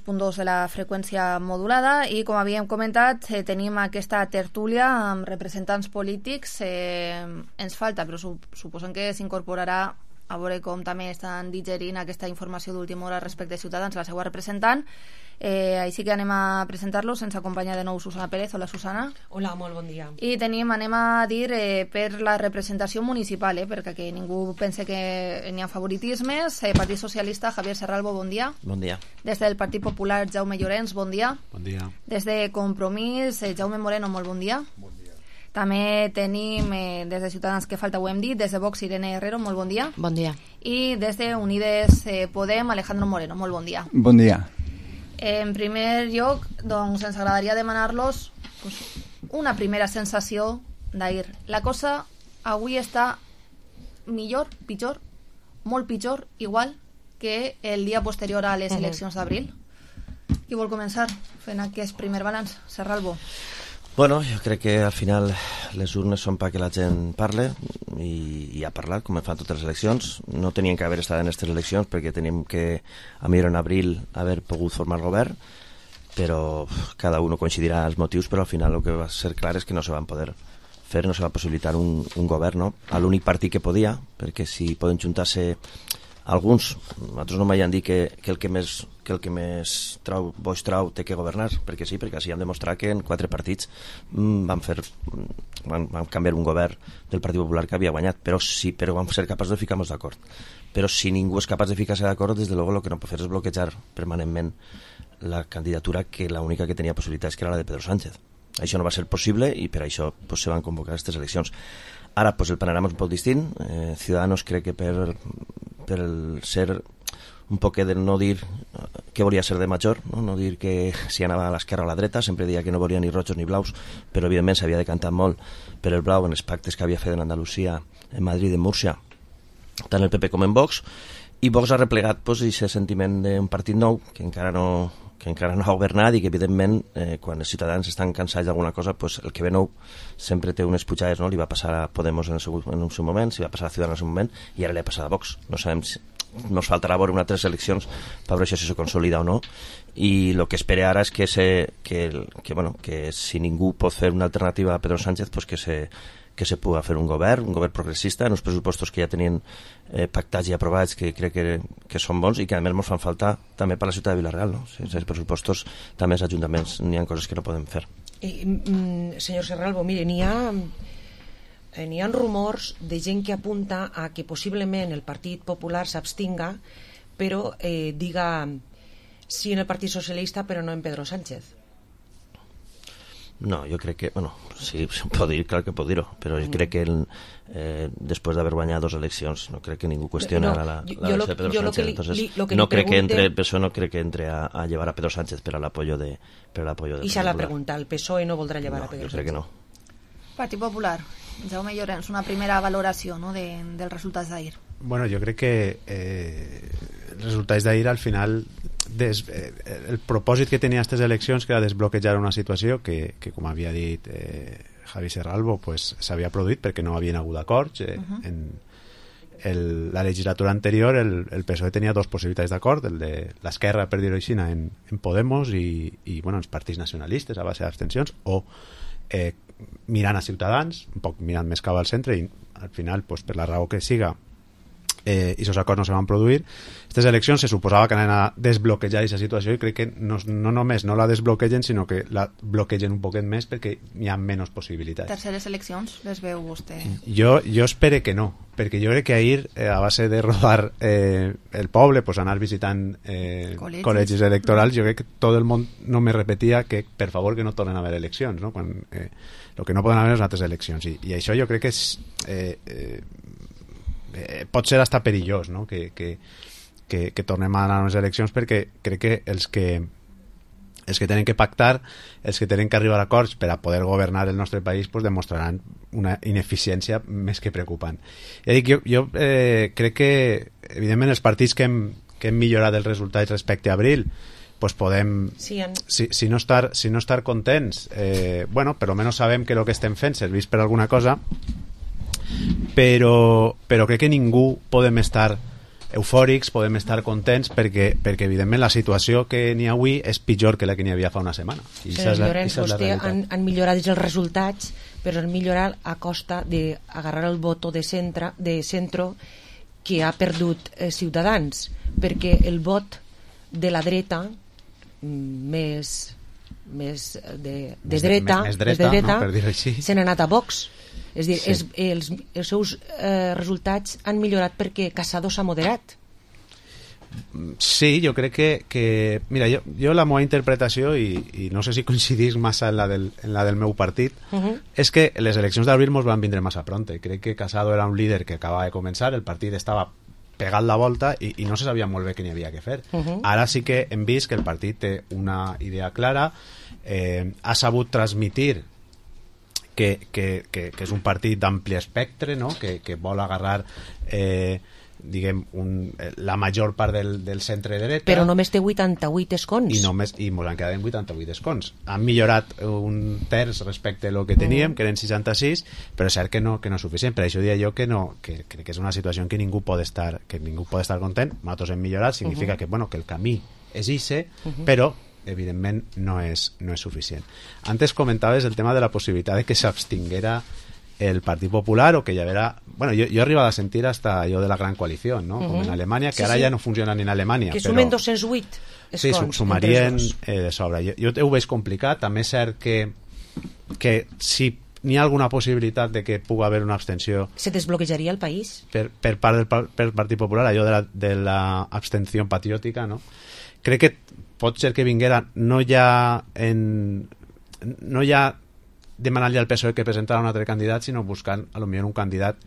102.2 de la freqüència modulada i, com havíem comentat, tenim aquesta tertúlia amb representants polítics. Ens falta, però suposem que s'incorporarà, a veure com també estan digerint aquesta informació d'última hora respecte a Ciutadans, la seva representant. Així que anem a presentar-los. Ens acompanya de nou Susana Pérez. Hola, Susana. Hola, molt bon dia. I anem a dir per la representació municipal, perquè que ningú pense que n'hi ha favoritismes. Partit Socialista, Javier Serralbo, bon dia. Bon dia. Des del Partit Popular, Jaume Llorens, bon dia. Bon dia. Des de Compromís, Jaume Moreno, molt bon dia. Bon dia. També tenim des de Ciutadans, que falta ho hem dit, des de Vox, Irene Herrero, molt bon dia. Bon dia. I des de Unides Podem, Alejandro Moreno, molt bon dia. Bon dia. En primer lloc, doncs, ens agradaria demanar-los una primera sensació d'ahir. La cosa avui està millor, pitjor, molt pitjor, igual que el dia posterior a les eleccions d'abril. Qui vol començar fent aquest primer balanç? Serralbo. Bueno, jo crec que al final les urnes són perquè la gent parle i ha parlat, com fan totes les eleccions. No tenien que haver estat en aquestes eleccions perquè teníem que, a millor en abril, haver pogut formar govern, però cada un coincidirà els motius, però al final el que va ser clar és que no se van poder fer, no se va possibilitar un govern, no? A l'únic partit que podia, perquè si poden juntar-se alguns, nosaltres no mai han dit que el que més boix trau té que governar, perquè sí, perquè així hem demostrat que en 4 partits van canviar un govern del Partit Popular que havia guanyat, però vam ser capaços de ficar-nos d'acord. Però si ningú és capaç de ficar-se d'acord, des de luego el que no pot fer és bloquejar permanentment la candidatura, que l'única que tenia possibilitats que era la de Pedro Sánchez. Això no va ser possible i per això se van convocar aquestes eleccions. Ara el panorama és un poc distint. Ciudadanos crec que per el ser un poc de no dir què volia ser de major, no dir que si anava a l'esquerra o a la dreta, sempre deia que no volia ni rojos ni blaus, però evidentment s'havia decantat molt per el blau en els pactes que havia fet en Andalusia, en Madrid i en Múrcia, tant el PP com en Vox, i Vox ha replegat aquest sentiment d'un partit nou que encara no ha governat i que evidentment quan els ciutadans estan cansats d'alguna cosa, el que ve nou sempre té unes pujades, no? Li va passar a Podemos en el seu moment, si va passar a Ciudadanos en un moment i ara li ha passat a Vox. No sabem si nos faltarà veure unes 3 eleccions per veure si això se consolida o no, i el que espera ara és que si ningú pot fer una alternativa a Pedro Sánchez, que se pugui fer un govern progressista en els pressupostos que ja tenien pactats i aprovats, que crec que són bons i que a més ens fan falta també per la ciutat de Vila-real, no? Sense els pressupostos també els ajuntaments n'hi ha coses que no podem fer. Senyor Serralbo, mire, n'hi ha rumors de gent que apunta a que possiblement el Partit Popular s'abstinga, però diga sí en el Partit Socialista però no en Pedro Sánchez. No, jo crec que, sí, pot dir, clar que pot dir-ho, però jo crec que després d'haver guanyat 2 eleccions no crec que ningú qüestiona la elecció de Pedro Sánchez. Entonces, no crec que entre a llevar a Pedro Sánchez per a l'apoyo de I se la pregunta, el PSOE no voldrà llevar a Pedro Sánchez? Jo crec que no. Partit Popular, Jaume Llorens, una primera valoració, no, dels resultats d'ahir. Bueno, jo crec que els resultats d'ahir al final el propòsit que tenia aquestes eleccions, que era desbloquejar una situació que com havia dit Javi Serralbo, s'havia produït perquè no havien hagut acords. En la legislatura anterior el PSOE tenia 2 possibilitats d'acord, el de l'esquerra, per dir-ho així, en Podemos i els partits nacionalistes a base d'abstencions, o mirant a Ciutadans, un poc mirant més cap al centre, i al final, per la raó que siga, i aquests acords no se van produir. Aquestes eleccions se suposava que anaven a desbloquejar aquesta situació i crec que no només no la desbloquegen, sinó que la bloquegen un poquet més perquè hi ha menys possibilitats. Terceres eleccions, les veu vostè? Jo espero que no, perquè jo crec que ahir, a base de rodar el poble, anar visitant col·legis electorals, jo crec que tot el món no me repetia que per favor que no tornen a haver eleccions, no? Quan el que no poden haver és altres eleccions, i això jo crec que és pot ser hasta perillós, no? que tornem a anar a unes eleccions, perquè crec que els que tenen que pactar, els que tenen que arribar a acords per a poder governar el nostre país, demostraran una ineficiència més que preocupant. Ja dic, jo crec que evidentment els partits que hem millorat els resultats respecte a abril, podem, si no estar contents, per almenys sabem que el que estem fent serveix per alguna cosa, però crec que ningú podem estar eufòrics, podem estar contents perquè evidentment la situació que n'hi ha avui és pitjor que la que n'hi havia fa una setmana. I Senyor Llorenç, vostè han millorat els resultats, però han millorat a costa d'agarrar el voto de centro que ha perdut Ciutadans, perquè el vot de la dreta més de dreta, no, per dir-ho així, se n'ha anat a Vox. És dir, els seus resultats han millorat perquè Casado s'ha moderat. Sí, jo crec que mira, jo la meva interpretació, i no sé si coincidís massa en la del meu partit, és que les eleccions d'abril mos van vindre massa pronte. Crec que Casado era un líder que acabava de començar, el partit estava pegat la volta i no se sabia molt bé què n'hi havia que fer. Ara sí que hem vist que el partit té una idea clara, ha sabut transmitir que és un partit d'ampli espectre, no? que vol agarrar diguem, la major part del centre-dreta. Però només té 88 escons. I mos han quedat en 88 escons. Han millorat un terç respecte a lo que teníem, que eren 66, però és cert que no és suficient. Per això diria jo que crec que és una situació en què ningú pot estar content. Nosaltres hem millorat, significa que el camí és ixe, però evidentment no és suficient. Antes comentaves el tema de la possibilitat de que s'abstinguera el Partit Popular o que hi haguera... Bueno, jo he arribat a sentir hasta allò de la gran coalició, no? Com en Alemanya, que ara ja no funciona ni en Alemanya. Que sumen 208 escons. Sí, sumarien de sobre. Jo ho veig complicat. També és cert que si n'hi ha alguna possibilitat de que pugui haver una abstenció... Se desbloquejaria el país? Per part del Partit Popular, allò de l'abstenció patriòtica, no? Crec que pot ser que vinguera no ja demanant-li al PSOE que presentara un altre candidat, sinó buscant a lo millor un candidat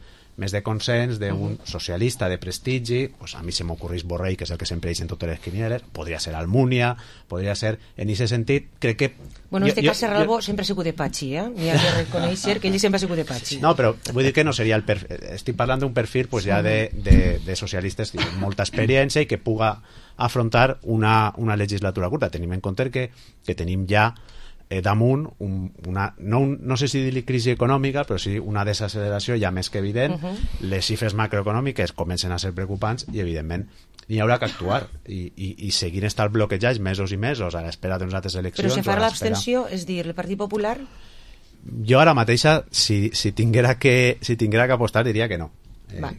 més de consens, d'un socialista de prestigi. Pues a mi se m'ocorreix Borrell, que és el que sempre eix en totes les quinieles, podria ser Almunia, podria ser... En aquest sentit, crec que... Bueno, en este cas Serralbo sempre ha sigut de Pachi, N'hi ha que reconèixer que ell sempre ha sigut de Pachi. No, però vull dir que no seria el perfil... Estic parlant d'un perfil pues, ja de socialistes amb molta experiència i que puga afrontar una legislatura curta. Tenim en compte que tenim ja damunt no sé si dir-li crisi econòmica, però sí una desacceleració ja més que evident. Les xifres macroeconòmiques comencen a ser preocupants i evidentment hi haurà que actuar i seguir estar bloquejats mesos i mesos a l'espera d'unes altres eleccions. Però si farà l'abstenció, és dir, el Partit Popular? Jo ara mateixa, si tinguera que apostar, diria que no.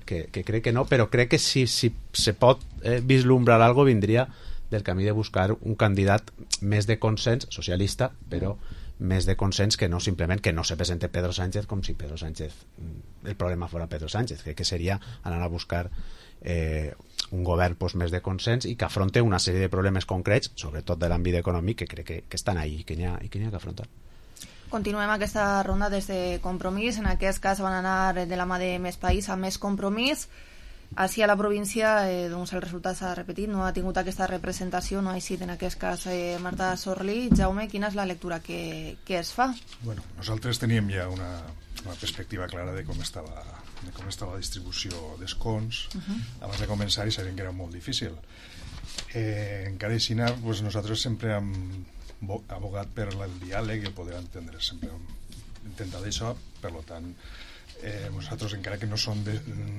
Que crec que no, però crec que si se pot vislumbrar algo vindria del camí de buscar un candidat més de consens, socialista, però més de consens que no simplement que no se presente Pedro Sánchez com si Pedro Sánchez el problema fora Pedro Sánchez. Crec que seria anar a buscar un govern més de consens i que afronte una sèrie de problemes concrets, sobretot de l'àmbit econòmic, que crec que estan ahí i que n'hi ha que afrontar. Continuem aquesta ronda des de Compromís. En aquest cas van anar de la mà de Més País a Més Compromís. Així a la província doncs el resultat s'ha repetit, no ha tingut aquesta representació, no ha sigut en aquest cas Marta Sorlí. Jaume, quina és la lectura que es fa? Bueno, nosaltres teníem ja una perspectiva clara de com estava la distribució d'escons abans de començar i sabíem que era molt difícil. Encara així, nosaltres sempre hem abogat per el diàleg i el poder entendre, sempre hem intentat això, per tant nosaltres, encara que no som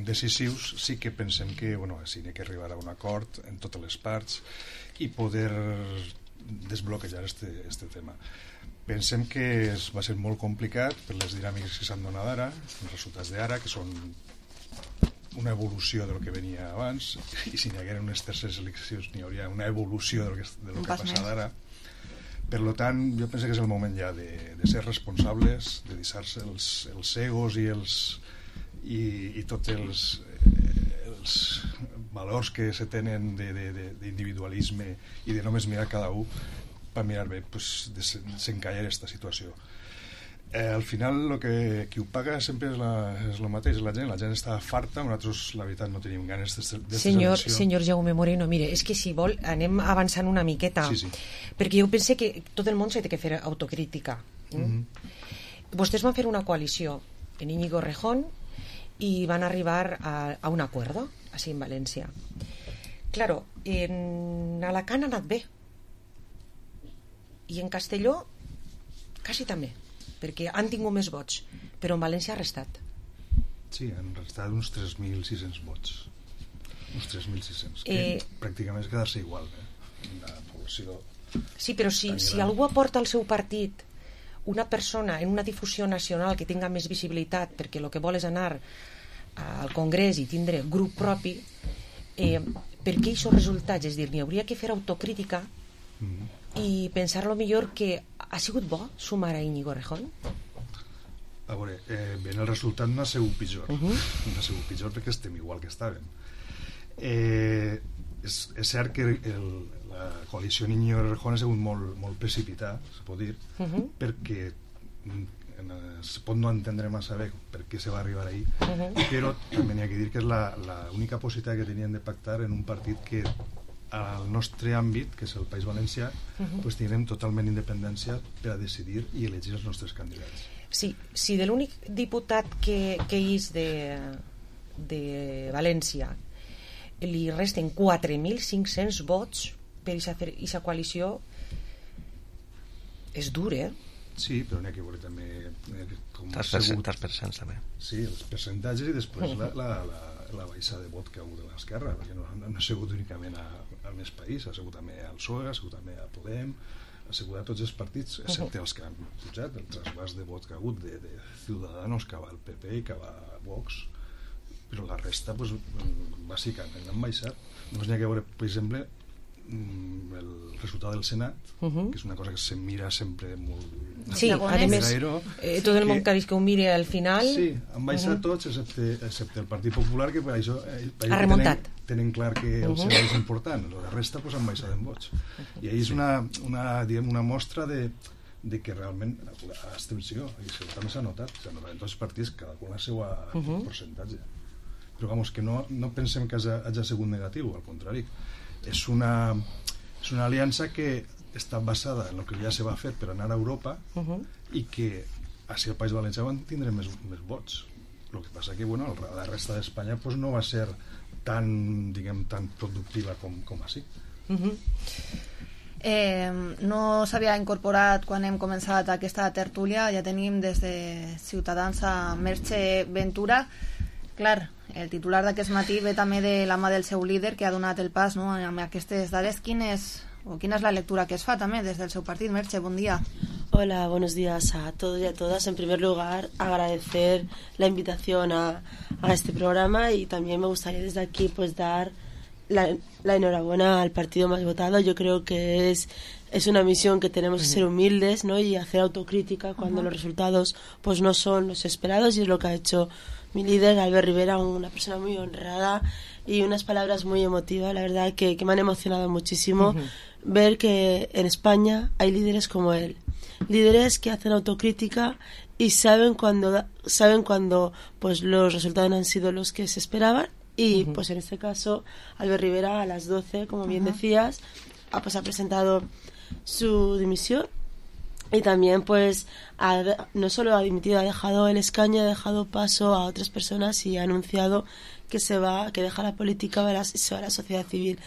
decisius, sí que pensem que sí n'hi ha que arribar a un acord en totes les parts i poder desbloquejar este tema. Pensem que va ser molt complicat per les dinàmiques que s'han donat ara, els resultats d'ara, que són una evolució del que venia abans, i si n'hi hagueren unes terceres eleccions n'hi hauria una evolució del que ha passat ara. Per tant, jo penso que és el moment ja de ser responsables, de deixar-se els egos i tots els valors que se tenen d'individualisme i de només mirar cada un per mirar bé, desencallar aquesta situació. Al final qui ho paga sempre és el mateix, la gent està farta, nosaltres la veritat no tenim ganes d'esta Senyor Jaume Moreno, mire, és que si vol anem avançant una miqueta, perquè jo pense que tot el món s'ha de fer autocrítica. Vostès van fer una coalició en Íñigo Rejón i van arribar a un acuerdo així en València. Claro, en Alacant ha anat bé i en Castelló quasi també, perquè han tingut més vots, però en València ha restat. Sí, han restat uns 3.600 vots. uns 3.600, que pràcticament és quedar-se igual, la població. Sí, però si algú aporta al seu partit una persona en una difusió nacional que tinga més visibilitat, perquè el que vol és anar al Congrés i tindre grup propi, per què aquests resultats? És dir, n'hi hauria que fer autocrítica i pensar lo millor que ha sigut bo sumar a Íñigo Errejón. A veure, ben el resultat no ha sigut pitjor, no ha sigut pitjor perquè estem igual que estàvem. És cert que la coalició Íñigo Errejón ha sigut molt precipitada, se pot dir, perquè se pot no entendre massa bé per què se va arribar ahí, però també n'hi ha que dir que és l'única possibilitat que tenien de pactar en un partit que al nostre àmbit, que és el País Valencià, pues tindrem totalment independència per a decidir i elegir els nostres candidats. Sí, si de l'únic diputat que és de València li resten 4.500 vots per aquesta coalició, és dur, Sí, però n'hi ha que veure també els percents també. Sí, els percentatges i després la baixada de vot que ha hagut de l'esquerra, perquè no ha sigut únicament al més país, ha sigut també al PSOE, ha sigut també a Podem, ha sigut a tots els partits, excepte els que han pujat, el trasbàs de vot que ha hagut de Ciudadanos, que va al PP i que va a Vox, però la resta, pues, bàsicament han baixat. Només n'hi ha que veure, per exemple, el resultat del Senat, que és una cosa que se mira sempre molt... Sí, a més, tot el món que ho miri al final... Sí, han baixat tots, excepte el Partit Popular, que per això ha remuntat. Tenen clar que el Senat és important, la resta pues, han baixat en vots. I ahí és una mostra de que realment l'abstenció, i també s'ha notat en tots els partits, cada qual el seu percentatge. Però vamos, que no pensem que hagi sigut negatiu, al contrari. És una aliança que està basada en el que ja se va fer per anar a Europa i que així al País Valencià van tindre més vots. El que passa que la resta d'Espanya pues, no va ser tan productiva com així. No s'havia incorporat quan hem començat aquesta tertúlia, ja tenim des de Ciutadans a Merche Ventura. Clar, el titular d'aquest matí ve també de la mà del seu líder que ha donat el pas, no, amb aquestes dades. Quina és la lectura que es fa també des del seu partit? Merche, bon dia. Hola, buenos días a todos y a todas. En primer lugar, agradecer la invitación a este programa y también me gustaría desde aquí pues dar la enhorabuena al partido más votado. Yo creo que es una misión que tenemos que ser humildes, ¿no? Y hacer autocrítica cuando los resultados pues no son los esperados, y es lo que ha hecho mi líder, Albert Rivera, una persona muy honrada y unas palabras muy emotivas, la verdad que me han emocionado muchísimo ver que en España hay líderes como él, líderes que hacen autocrítica y saben cuando pues los resultados no han sido los que se esperaban, y pues en este caso Albert Rivera a las 12, como bien decías, ha presentado su dimisión. Y también pues no solo ha dimitido, ha dejado el escaño, ha dejado paso a otras personas y ha anunciado que deja la política y se va a la sociedad civil.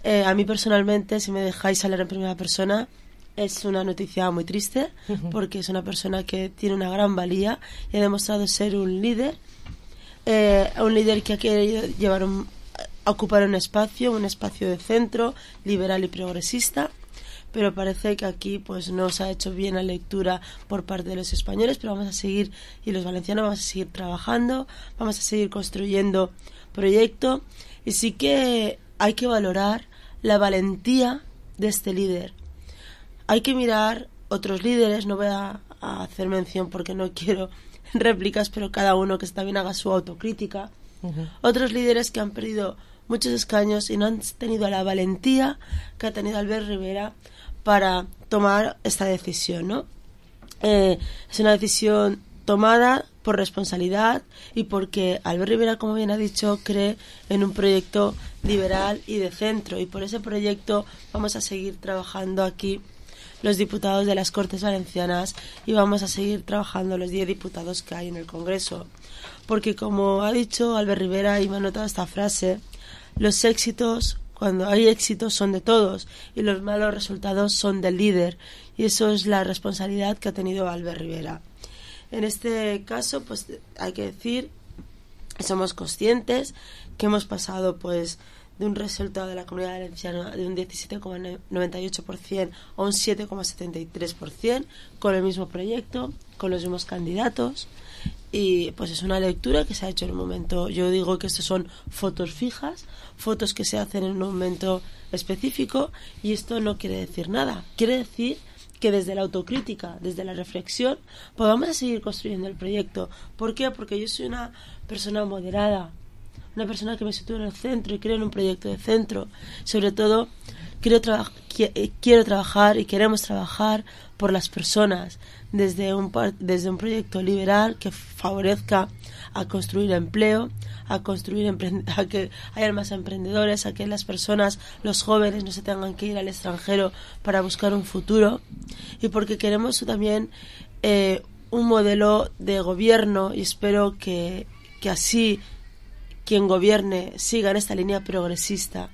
A mí personalmente, si me dejáis hablar en primera persona, es una noticia muy triste, porque es una persona que tiene una gran valía y ha demostrado ser un líder que ha querido ocupar un espacio de centro, liberal y progresista. Pero parece que aquí pues no se ha hecho bien la lectura por parte de los españoles, pero vamos a seguir, y los valencianos vamos a seguir trabajando, vamos a seguir construyendo proyecto, y sí que hay que valorar la valentía de este líder. Hay que mirar otros líderes, no voy a hacer mención porque no quiero réplicas, pero cada uno que está bien haga su autocrítica. Otros líderes que han perdido muchos escaños y no han tenido la valentía que ha tenido Albert Rivera para tomar esta decisión, ¿no? Es una decisión tomada por responsabilidad y porque Albert Rivera, como bien ha dicho, cree en un proyecto liberal y de centro, y por ese proyecto vamos a seguir trabajando aquí los diputados de las Cortes Valencianas y vamos a seguir trabajando los 10 diputados que hay en el Congreso, porque como ha dicho Albert Rivera, y me ha notado esta frase, los éxitos, cuando hay éxitos, son de todos y los malos resultados son del líder, y eso es la responsabilidad que ha tenido Albert Rivera. En este caso, pues hay que decir somos conscientes que hemos pasado pues de un resultado de la Comunidad Valenciana de un 17,98% a un 7,73% con el mismo proyecto, con los mismos candidatos, y pues es una lectura que se ha hecho en un momento. Yo digo que estos son fotos fijas, fotos que se hacen en un momento específico, y esto no quiere decir nada, quiere decir que desde la autocrítica, desde la reflexión, podamos seguir construyendo el proyecto. ¿Por qué? Porque yo soy una persona moderada, una persona que me sitúa en el centro y creo en un proyecto de centro. Sobre todo, quiero trabajar y queremos trabajar por las personas desde un proyecto liberal que favorezca a construir empleo, a que haya más emprendedores, a que las personas, los jóvenes, no se tengan que ir al extranjero para buscar un futuro, y porque queremos también un modelo de gobierno, y espero que así quien gobierne siga en esta línea progresista,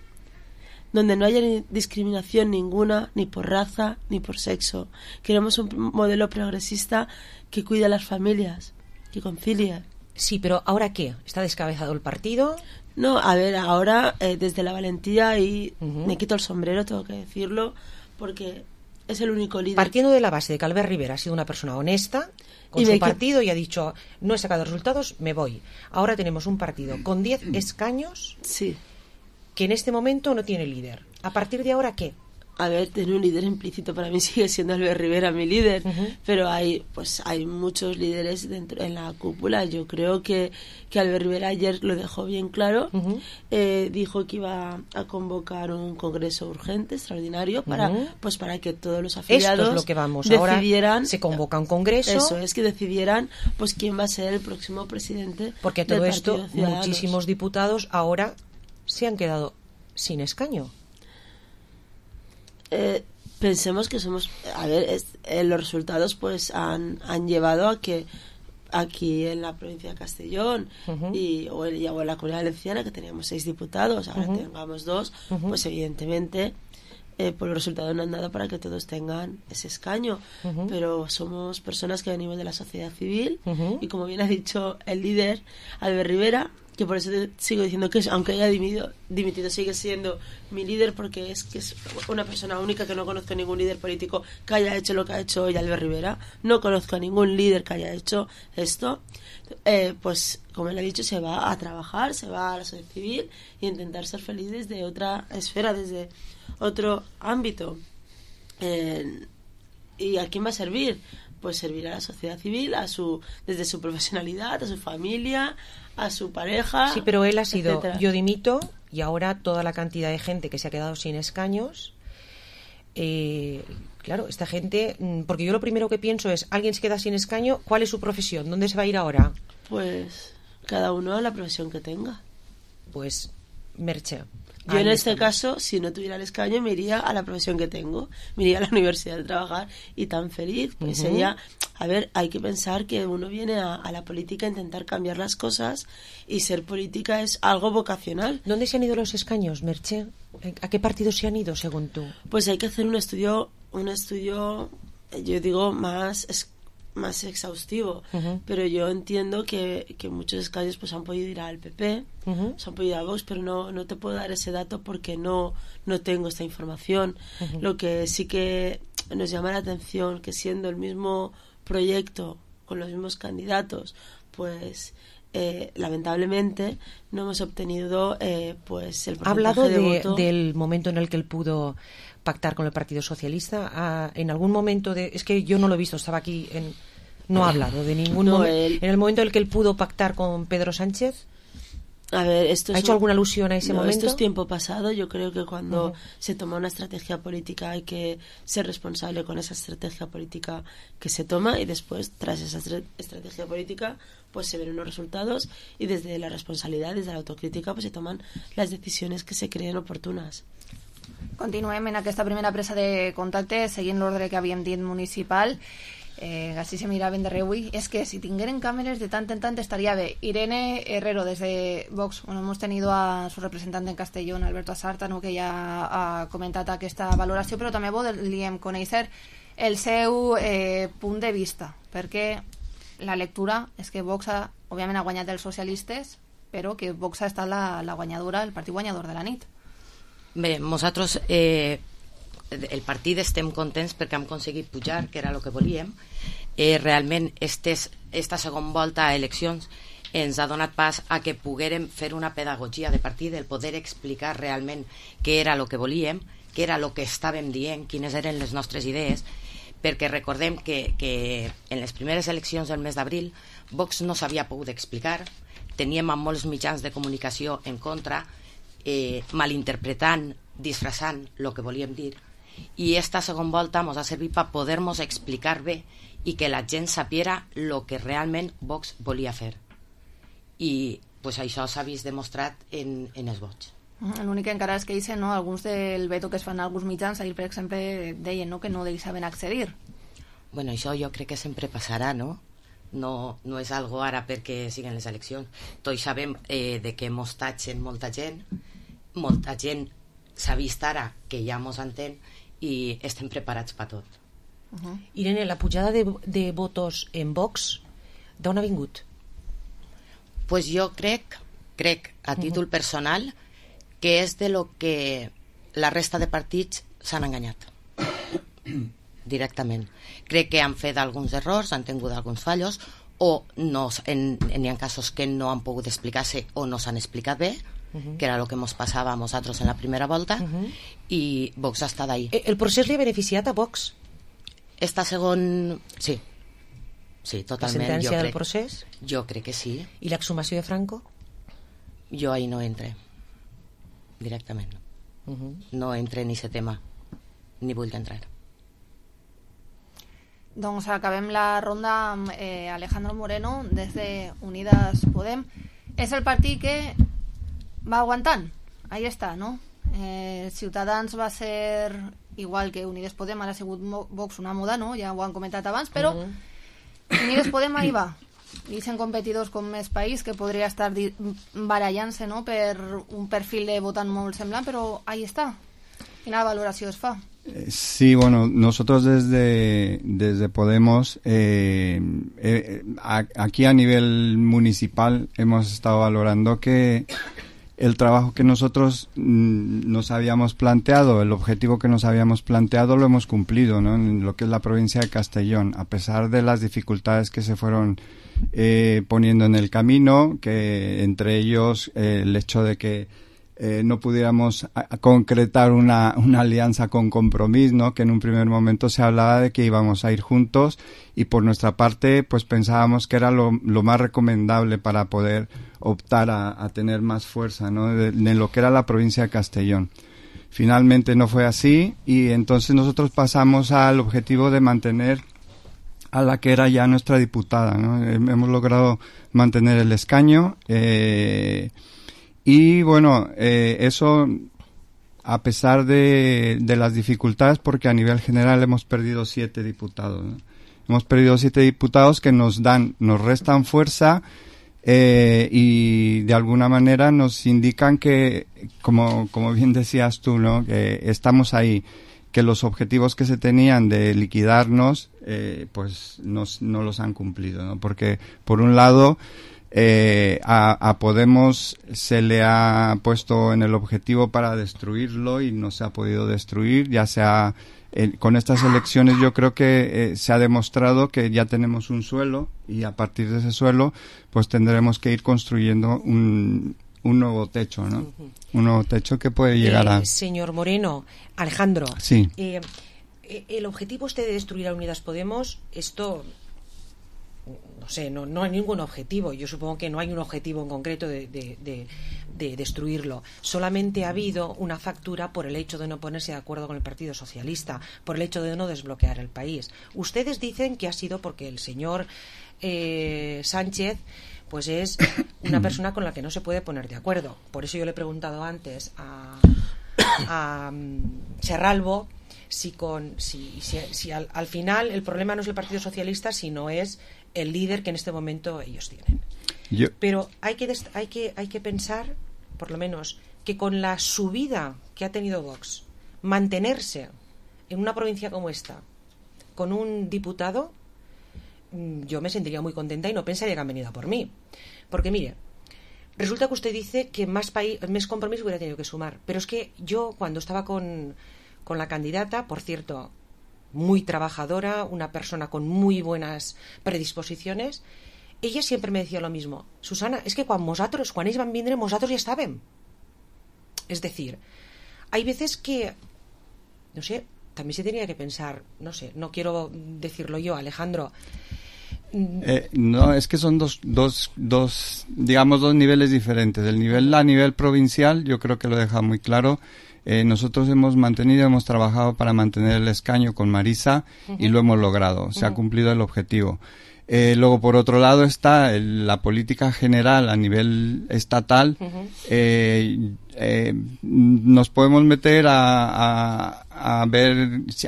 donde no haya discriminación ninguna, ni por raza, ni por sexo. Queremos un modelo progresista que cuide a las familias, que concilie. Sí, pero ¿ahora qué? ¿Está descabezado el partido? No, a ver, ahora desde la valentía, y me quito el sombrero, tengo que decirlo, porque es el único líder. Partiendo de la base de que Albert Rivera ha sido una persona honesta con su partido y ha dicho, no he sacado resultados, me voy. Ahora tenemos un partido con 10 escaños, sí, que en este momento no tiene líder. ¿A partir de ahora qué? A ver, tener un líder implícito para mí sigue siendo Albert Rivera mi líder, pero hay muchos líderes dentro en la cúpula. Yo creo que Albert Rivera ayer lo dejó bien claro. Dijo que iba a convocar un congreso urgente, extraordinario, para que todos los afiliados esto es lo que vamos decidieran. Ahora se convoca un congreso. Eso es, que decidieran pues quién va a ser el próximo presidente. Porque a todo del esto Partido Ciudadanos. Muchísimos diputados ahora se han quedado sin escaño. Pensemos que somos, a ver, los resultados pues han llevado a que aquí en la provincia de Castellón o en la Comunidad Valenciana, que teníamos 6 diputados, ahora tengamos 2, pues evidentemente pues los resultados no han dado para que todos tengan ese escaño, pero somos personas que venimos de la sociedad civil, y como bien ha dicho el líder Albert Rivera, que por eso sigo diciendo que aunque haya dimitido sigue siendo mi líder, porque es una persona única, que no conozco a ningún líder político que haya hecho lo que ha hecho hoy Albert Rivera, no conozco a ningún líder que haya hecho esto. Pues como él ha dicho, se va a trabajar, se va a la sociedad civil y intentar ser feliz desde otra esfera, desde otro ámbito. ¿Y a quién va a servir? Pues servir a la sociedad civil, desde su profesionalidad, a su familia, a su pareja. Sí, pero él ha sido, etcétera. Yo dimito, y ahora toda la cantidad de gente que se ha quedado sin escaños, claro, esta gente, porque yo lo primero que pienso es, alguien se queda sin escaño, ¿cuál es su profesión? ¿Dónde se va a ir ahora? Pues cada uno a la profesión que tenga. Pues Merche. Yo en este caso, si no tuviera el escaño, me iría a la profesión que tengo, me iría a la universidad a trabajar, y tan feliz, pues sería, a ver, hay que pensar que uno viene a la política a intentar cambiar las cosas, y ser política es algo vocacional. ¿Dónde se han ido los escaños, Merche? ¿A qué partidos se han ido, según tú? Pues hay que hacer un estudio, yo digo, más exhaustivo, pero yo entiendo que muchos escaños pues han podido ir al PP, se han podido ir a Vox, pero no te puedo dar ese dato porque no tengo esta información. Lo que sí que nos llama la atención, que siendo el mismo proyecto, con los mismos candidatos, pues lamentablemente no hemos obtenido pues el porcentaje ¿Ha hablado de voto. del momento en el que él pudo pactar con el Partido Socialista? En algún momento es que yo no lo he visto, estaba aquí no ha hablado de ningún momento. En el momento en el que él pudo pactar con Pedro Sánchez, a ver, ¿ha hecho alguna alusión a ese momento? Esto es tiempo pasado. Yo creo que cuando se toma una estrategia política hay que ser responsable con esa estrategia política que se toma, y después, tras esa estrategia política, pues se ven unos resultados, y desde la responsabilidad, desde la autocrítica, pues se toman las decisiones que se creen oportunas. Continuem en aquesta primera presa de contacte, seguint l'ordre que havíem dit municipal. Així se miraven de reüll. És que si tingueren càmeres de tant en tant estaria bé. Irene Herrero, desde Vox. Bueno, hemos tenido a su representante en Castellón, Alberto Asarta, no, que ja ha comentat aquesta valoració, però també volíem conèixer el seu punt de vista, perquè la lectura és que Vox òbviament ha guanyat els socialistes, però que Vox ha estat la guanyadora, el partit guanyador de la nit. Bé, nosaltres el partit estem contents perquè hem aconseguit pujar, que era el que volíem. Realment esta segona volta a eleccions ens ha donat pas a que poguérem fer una pedagogia de partit, el poder explicar realment què era el que volíem, què era el que estàvem dient, quines eren les nostres idees, perquè recordem que en les primeres eleccions del mes d'abril Vox no s'havia pogut explicar, teníem amb molts mitjans de comunicació en contra, malinterpretant, disfressant el que volíem dir, i esta segona volta ens ha servit per poder-nos explicar bé i que la gent sapiera el que realment Vox volia fer. I pues, això s'ha vist demostrat en els vots. L'únic que encara és que dicen, no, alguns del veto que es fan a alguns mitjans, ahir per exemple deien, no, que no deixaven accedir. Bueno, això jo crec que sempre passarà, no? No és algo ara perquè siguen les eleccions. Tots sabem de què mos tatxen molta gent s'ha vist ara que ja mos entén i estem preparats per tot. Irene, la pujada de votos en Vox d'on ha vingut? Pues jo crec a títol personal que és de lo que la resta de partits s'han enganyat directament. Crec que han fet alguns errors, han tingut alguns fallos, o n'hi ha casos que no han pogut explicar-se o no s'han explicat bé, que era el que ens passava a nosaltres en la primera volta, i Vox ha estat ahí. El procés li ha beneficiat a Vox? Esta segon... Sí, totalment. La sentència del procés? Jo crec que sí. I l'exhumació de Franco? Jo ahí no entre directament. No entre en aquest tema, ni vull entrar. Doncs acabem la ronda amb Alejandro Moreno des de Unidas Podem. És el partit que va aguantant, ahí està, no? Ciutadans va ser igual que Unidas Podem, ara ha sigut Vox una moda, no? Ja ho han comentat abans, però Unidas Podem ahí va, i sent competidors com Més País, que podria estar barallant-se, no?, per un perfil de votant molt semblant, però ahí està. Quina valoració es fa? Sí, bueno, nosotros desde Podemos, aquí a nivel municipal hemos estado valorando que el trabajo que nosotros nos habíamos planteado, el objetivo que nos habíamos planteado, lo hemos cumplido, ¿no?, en lo que es la provincia de Castellón, a pesar de las dificultades que se fueron poniendo en el camino, que entre ellos el hecho de que no pudiéramos concretar una alianza con Compromís, ¿no?, que en un primer momento se hablaba de que íbamos a ir juntos, y por nuestra parte pues pensábamos que era lo más recomendable para poder optar a tener más fuerza, ¿no?, de lo que era la provincia de Castellón. Finalmente no fue así, y entonces nosotros pasamos al objetivo de mantener a la que era ya nuestra diputada, ¿no? Hemos logrado mantener el escaño, y bueno, eso a pesar de las dificultades, porque a nivel general hemos perdido 7 diputados, ¿no? Hemos perdido 7 diputados que nos restan fuerza, y de alguna manera nos indican que, como bien decías tú, ¿no?, que estamos ahí, que los objetivos que se tenían de liquidarnos pues no los han cumplido, ¿no? Porque por un lado a Podemos se le ha puesto en el objetivo para destruirlo y no se ha podido destruir, ya sea con estas elecciones. Yo creo que se ha demostrado que ya tenemos un suelo, y a partir de ese suelo pues tendremos que ir construyendo un nuevo techo, ¿no? Un nuevo techo que puede llegar a... Señor Moreno, Alejandro, sí. El objetivo de destruir a Unidas Podemos, esto... No sé, no hay ningún objetivo. Yo supongo que no hay un objetivo en concreto de destruirlo. Solamente ha habido una factura por el hecho de no ponerse de acuerdo con el Partido Socialista, por el hecho de no desbloquear el país. Ustedes dicen que ha sido porque el señor Sánchez pues es una persona con la que no se puede poner de acuerdo. Por eso yo le he preguntado antes a Serralvo si al final el problema no es el Partido Socialista, sino es el líder que en este momento ellos tienen. Pero hay que pensar, por lo menos, que con la subida que ha tenido Vox, mantenerse en una provincia como esta con un diputado, yo me sentiría muy contenta y no pensaría que han venido a por mí. Porque mire, Resulta que usted dice que más compromiso hubiera tenido que sumar. Pero es que yo, cuando estaba con la candidata, por cierto, muy trabajadora, una persona con muy buenas predisposiciones, ella siempre me decía lo mismo. Susana, es que quan ells van vindre, nosaltres ja estàvem. Es decir, hay veces que, no sé, también se tenía que pensar, no sé, no quiero decirlo yo, Alejandro. No, es que son dos niveles diferentes. El nivel a nivel provincial, yo creo que lo deja muy claro. Nosotros hemos trabajado para mantener el escaño con Marisa y lo hemos logrado, se ha cumplido el objetivo. Luego, por otro lado, está la política general a nivel estatal. Nos podemos meter a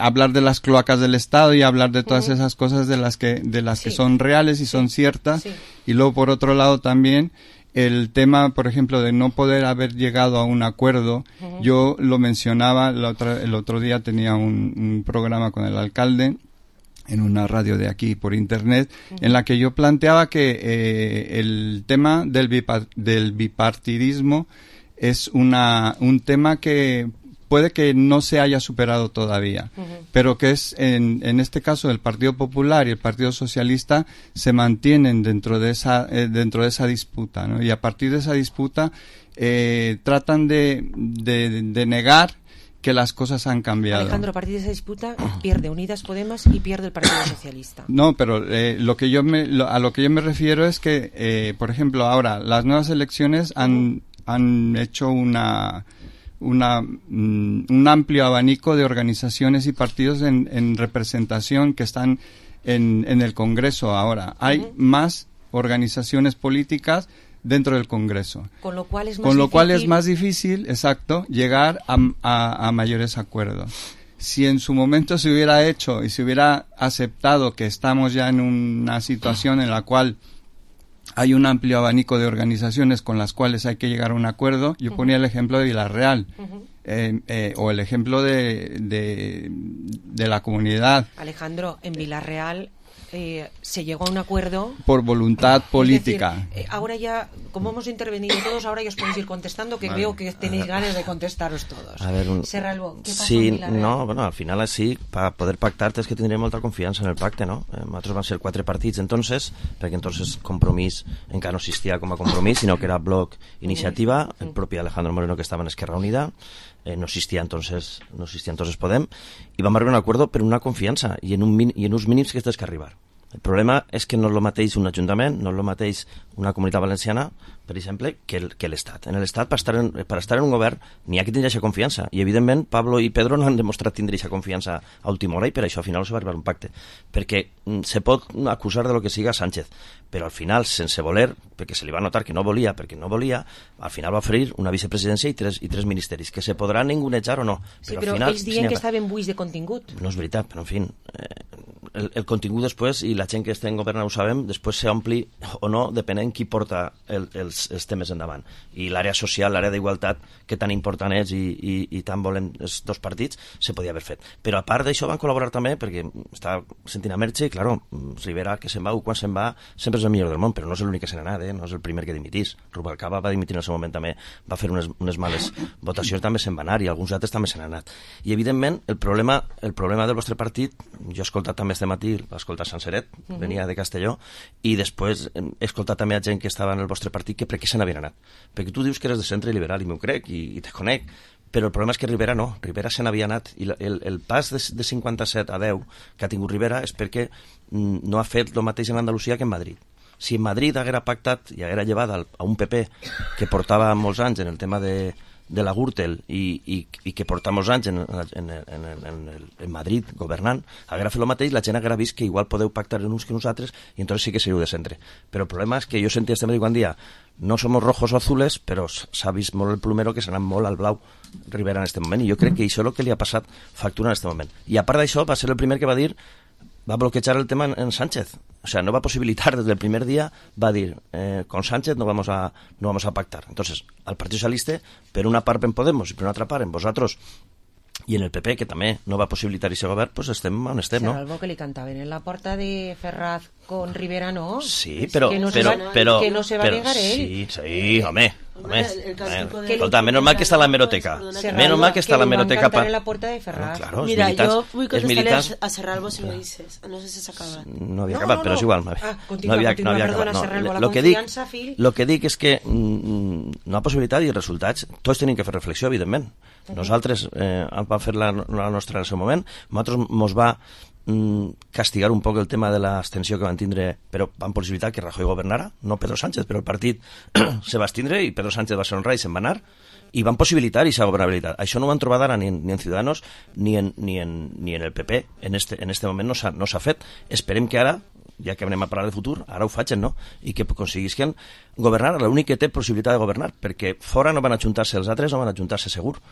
hablar de las cloacas del Estado y hablar de todas esas cosas de las que son reales y son ciertas. Y luego, por otro lado, también el tema, por ejemplo, de no poder haber llegado a un acuerdo. Yo lo mencionaba el otro día, tenía un programa con el alcalde en una radio de aquí por internet, en la que yo planteaba que el tema del bipartidismo es un tema que puede que no se haya superado todavía, pero que es en este caso el Partido Popular y el Partido Socialista se mantienen dentro de esa disputa, ¿no? Y a partir de esa disputa tratan de negar que las cosas han cambiado. Alejandro, a partir de esa disputa pierde Unidas Podemos y pierde el Partido Socialista. No, pero a lo que yo me refiero es que, por ejemplo, ahora las nuevas elecciones han hecho un amplio abanico de organizaciones y partidos en representación que están en el Congreso ahora. Hay más organizaciones políticas dentro del Congreso. Con lo cual es más difícil, exacto, llegar a mayores acuerdos. Si en su momento se hubiera hecho y se hubiera aceptado que estamos ya en una situación en la cual hay un amplio abanico de organizaciones con las cuales hay que llegar a un acuerdo, yo ponía el ejemplo de Villarreal, o el ejemplo de la comunidad. Alejandro, en Villarreal se llegó a un acuerdo por voluntad política. Es decir, ahora ya, como hemos intervenido todos, ahora ya os podéis ir contestando, que veo que tenéis ganas de contestaros todos. A ver, Serralbo, ¿qué pasa sí, en Villarreal? no, bueno, al final sí, para poder pactar tens que tindrem molta confiança en el pacte, no? Nosaltres van ser 4 partits entonces, perquè entonces Compromís encara no existia com a Compromís, sinó que era Bloc Iniciativa, el propi Alejandro Moreno que estava en Esquerra Unida, no existia entonces Podem, i vam arribar a un acuerdo per una confiança i en uns mínims que tens que arribar. El problema és que no és el mateix un ajuntament, no és el mateix una comunitat valenciana, per exemple, que l'Estat. En l'Estat, per estar en un govern, n'hi ha que tindre aquesta confiança. I, evidentment, Pablo i Pedro no han demostrat tindre aquesta confiança a última hora i per això al final no se va arribar a un pacte. Perquè se pot acusar de lo que siga Sánchez, però al final, sense voler, perquè se li va notar que no volia, al final va oferir una vicepresidència i tres ministeris, que se podran ningunejar o no. Sí, però ells diuen que estaven buits de contingut. No és veritat, però en fi, el contingut després, i la gent que estem governant ho sabem, després s'ompli o no, depenent qui porta els temes endavant. I l'àrea social, l'àrea d'igualtat, que tan important és i tan volem els dos partits, se podia haver fet. Però a part d'això van col·laborar també, perquè està sentint a Merche, i claro, Rivera que se'n va o quan se'n va, sempre és el millor del món, però no és l'únic que se n'ha anat, no és el primer que dimitís. Rubalcaba va dimitir en el seu moment també, va fer unes males votacions, també se'n va anar, i alguns altres també se n'han anat. I evidentment, el problema del vostre partit, jo he escoltat també este matí, va escoltar Sanseret, venia de Castelló, i després he escoltat també a gent que estava en el vostre partit que per què se n'havien anat. Perquè tu dius que eres de centre liberal, i m'ho crec, i te conec, però el problema és que Rivera no, Rivera se n'havia anat, i el pas de 57 a 10 que ha tingut Rivera és perquè no ha fet el mateix en Andalusia que en Madrid. Si en Madrid haguera pactat i haguera llevat a un PP que portava molts anys en el tema de la Gürtel i que porta molts anys en Madrid governant, haguera fet el mateix, la gent haguera vist que igual podeu pactar en uns que nosaltres i entonces sí que seríeu de centre. Però el problema és que jo sentia este matí quan dia no somos rojos o azules, però s'ha vist molt el plumero que s'ha anat molt al blau Rivera en este moment, i jo crec que això és el que li ha passat factura en este moment. I a part d'això va ser el primer que va dir, va bloquejar el tema en Sánchez. O sea, no va posibilitar desde el primer día, va a decir, con Sánchez no vamos a pactar. Entonces, al Partido Socialista, per una part en Podemos i per una altra part en vosaltres, i en el PP, que també no va possibilitar aquest govern, pues estem on estem, no? Serralvo, que li cantaven en la porta de Ferraz con Rivera, no? Sí, però... Que no se va negar ell. Sí, home. Escolta, menos mal que está la hemeroteca. Menos mal que está la hemeroteca. Que en la puerta de Ferraz. Claro, mira, yo voy a contestarle a Serralvo si me dices. No sé si se acaba. No havia acabat, però és igual. Continua, perdona, Serralvo, la confiança, Phil. Lo que dic és que no ha possibilitat i resultats. Tots tenim que fer reflexió, evidentment. Nosaltres vam fer la nostra en el seu moment. Nosaltres mos va castigar un poc el tema de l'abstenció que van tindre, però van possibilitar que Rajoy governara, no Pedro Sánchez, però el partit se va abstindre i Pedro Sánchez va ser honrat i se'n va anar, i van possibilitar aquesta governabilitat. Això no ho han trobat ara ni en Ciudadanos ni en el PP. En este moment no s'ha fet. Esperem que ara, ja que anem a parlar de futur, ara ho facin, no? I que aconseguisquen governar, l'únic que té possibilitat de governar, perquè fora no van ajuntar-se els altres, no van ajuntar-se segur.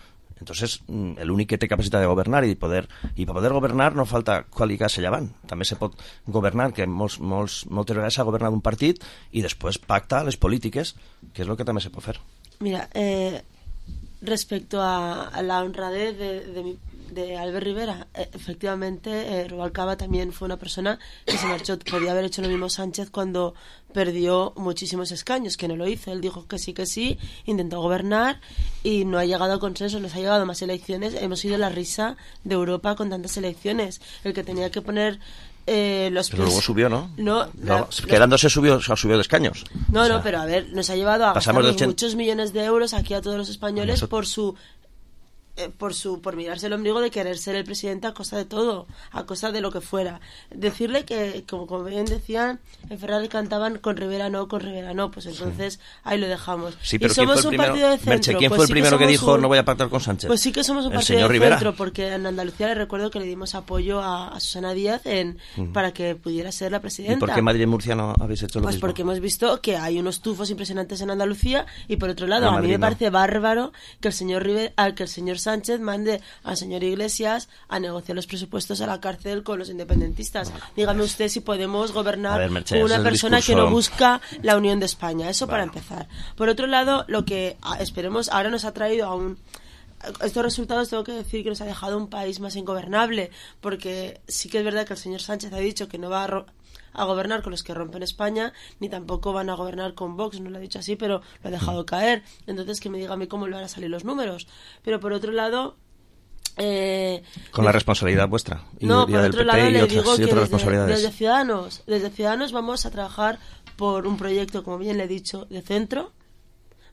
Entonces, l'únic que té capacitat de governar i per poder governar no falta qualificar-se llevant. També se pot governar, que moltes vegades s'ha governat un partit i després pacta les polítiques, que és el que també se pot fer. Mira, respecto a la honradez de Albert Rivera, efectivamente Rubalcaba también fue una persona que se marchó. Podía haber hecho lo mismo Sánchez cuando perdió muchísimos escaños, que no lo hizo. Él dijo que sí, intentó gobernar y no ha llegado a consenso, nos ha llegado a más elecciones. Hemos sido la risa de Europa con tantas elecciones. El que tenía que poner los pero luego subió, ¿no? Quedándose subió de escaños. No, pero a ver, nos ha llevado a gastar muchos millones de euros aquí a todos los españoles por mirarse el ombligo de querer ser el presidente a costa de todo, a costa de lo que fuera. Decirle que, como bien decían, en Ferrari cantaban con Rivera no, pues entonces ahí lo dejamos. Sí, pero y somos un partido de centro. Merche, ¿quién fue el primero que dijo no voy a pactar con Sánchez? Pues sí que somos un partido de centro, porque en Andalucía le recuerdo que le dimos apoyo a Susana Díaz para que pudiera ser la presidenta. ¿Y por qué Madrid y Murcia no habéis hecho lo mismo? Pues porque hemos visto que hay unos tufos impresionantes en Andalucía y por otro lado, a mí me parece bárbaro que el señor Sánchez mande al señor Iglesias a negociar los presupuestos a la cárcel con los independentistas. Dígame usted si podemos gobernar con una persona que no busca la unión de España. Eso para empezar. Por otro lado, lo que esperemos ahora nos ha traído estos resultados, tengo que decir que nos ha dejado un país más ingobernable, porque sí que es verdad que el señor Sánchez ha dicho que no va a gobernar con los que rompen España, ni tampoco van a gobernar con Vox, no lo ha dicho así, pero lo ha dejado caer. Entonces que me diga a mí cómo le van a salir los números. Pero por otro lado, con la responsabilidad vuestra y por del otro PP lado, le digo que otras responsabilidades. Desde Ciudadanos vamos a trabajar por un proyecto, como bien le he dicho, de centro,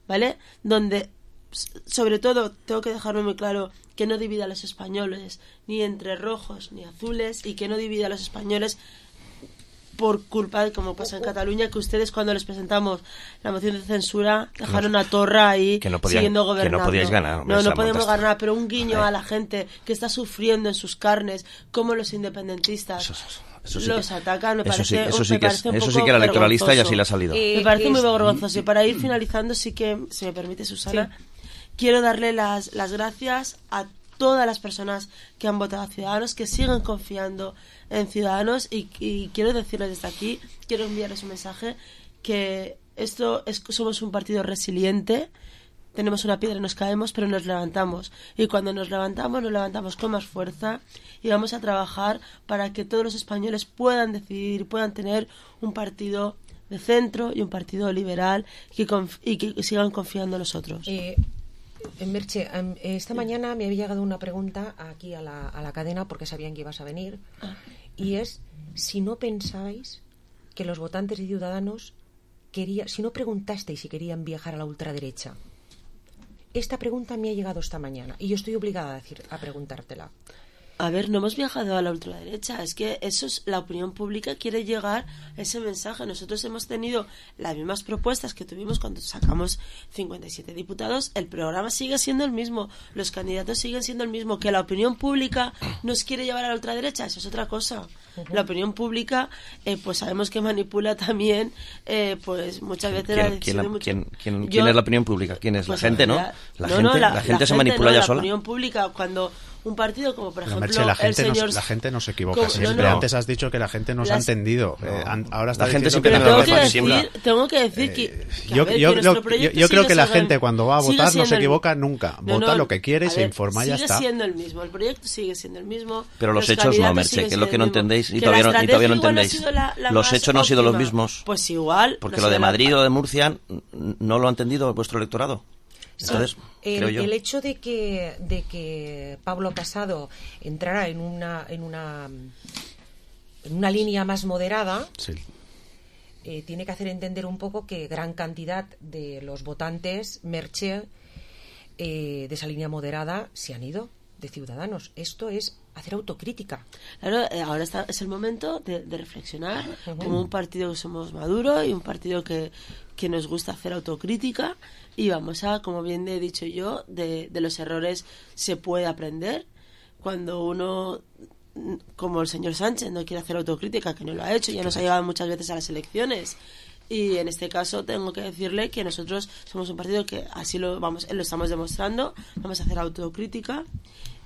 ¿vale? Donde sobre todo tengo que dejarme muy claro que no divida a los españoles ni entre rojos ni azules, y que no divida a los españoles por culpa de, como pasa en Cataluña, que ustedes cuando les presentamos la moción de censura dejaron a Torra ahí siguiendo gobernando. Que no podíais ganar. No podemos ganar, pero un guiño a la gente que está sufriendo en sus carnes, como los independentistas los atacan, me parece un poco eso sí que era electoralista y así le ha salido. Me parece muy vergonzoso. Y para ir finalizando, sí que, si me permite, Susana, quiero darle las gracias a todas las personas que han votado a Ciudadanos, que siguen confiando en Ciudadanos, y quiero decirles desde aquí, quiero enviarles un mensaje, que somos un partido resiliente, tenemos una piedra y nos caemos, pero nos levantamos, y cuando nos levantamos con más fuerza, y vamos a trabajar para que todos los españoles puedan decidir, puedan tener un partido de centro y un partido liberal y que sigan confiando en nosotros. Merche, esta mañana me había llegado una pregunta aquí a la cadena, porque sabían que ibas a venir, y es si no pensáis que los votantes de Ciudadanos si no preguntasteis si querían viajar a la ultraderecha. Esta pregunta me ha llegado esta mañana y yo estoy obligada a preguntártela. A ver, no hemos viajado a la ultraderecha, es que la opinión pública quiere llegar a ese mensaje. Nosotros hemos tenido las mismas propuestas que tuvimos cuando sacamos 57 diputados, el programa sigue siendo el mismo, los candidatos siguen siendo el mismo. Que la opinión pública nos quiere llevar a la ultraderecha, eso es otra cosa. La opinión pública, pues sabemos que manipula también, pues muchas veces la decisión ¿Quién es la opinión pública? ¿Quién es? Pues la gente, ¿no? La gente se manipula ya sola. La opinión pública, cuando un partido como, por ejemplo, Merche, la gente no se equivoca siempre. No. Antes has dicho que la gente nos ha entendido. Ahora está la gente siempre tengo que decir que yo creo que la gente cuando va a votar no se equivoca nunca. Vota lo que quiere y se informa y ya está. Sigue siendo el mismo, el proyecto sigue siendo el mismo. Pero los hechos no, Merche, que es lo que no entendéis y todavía no entendéis. Los hechos no han sido los mismos. Pues igual. Porque lo de Madrid o de Murcia no lo ha entendido vuestro electorado. Entonces, creo yo. El hecho de que Pablo Casado entrara en una línea más moderada, sí. Tiene que hacer entender un poco que gran cantidad de los votantes Merche de esa línea moderada se han ido de Ciudadanos. Esto es hacer autocrítica. Claro, ahora es el momento de reflexionar como un partido que somos maduro y un partido que nos gusta hacer autocrítica, y vamos a, como bien he dicho yo, de los errores se puede aprender. Cuando uno, como el señor Sánchez, no quiere hacer autocrítica, que no lo ha hecho, ya nos ha llevado muchas veces a las elecciones, y en este caso tengo que decirle que nosotros somos un partido que así lo estamos demostrando. Vamos a hacer autocrítica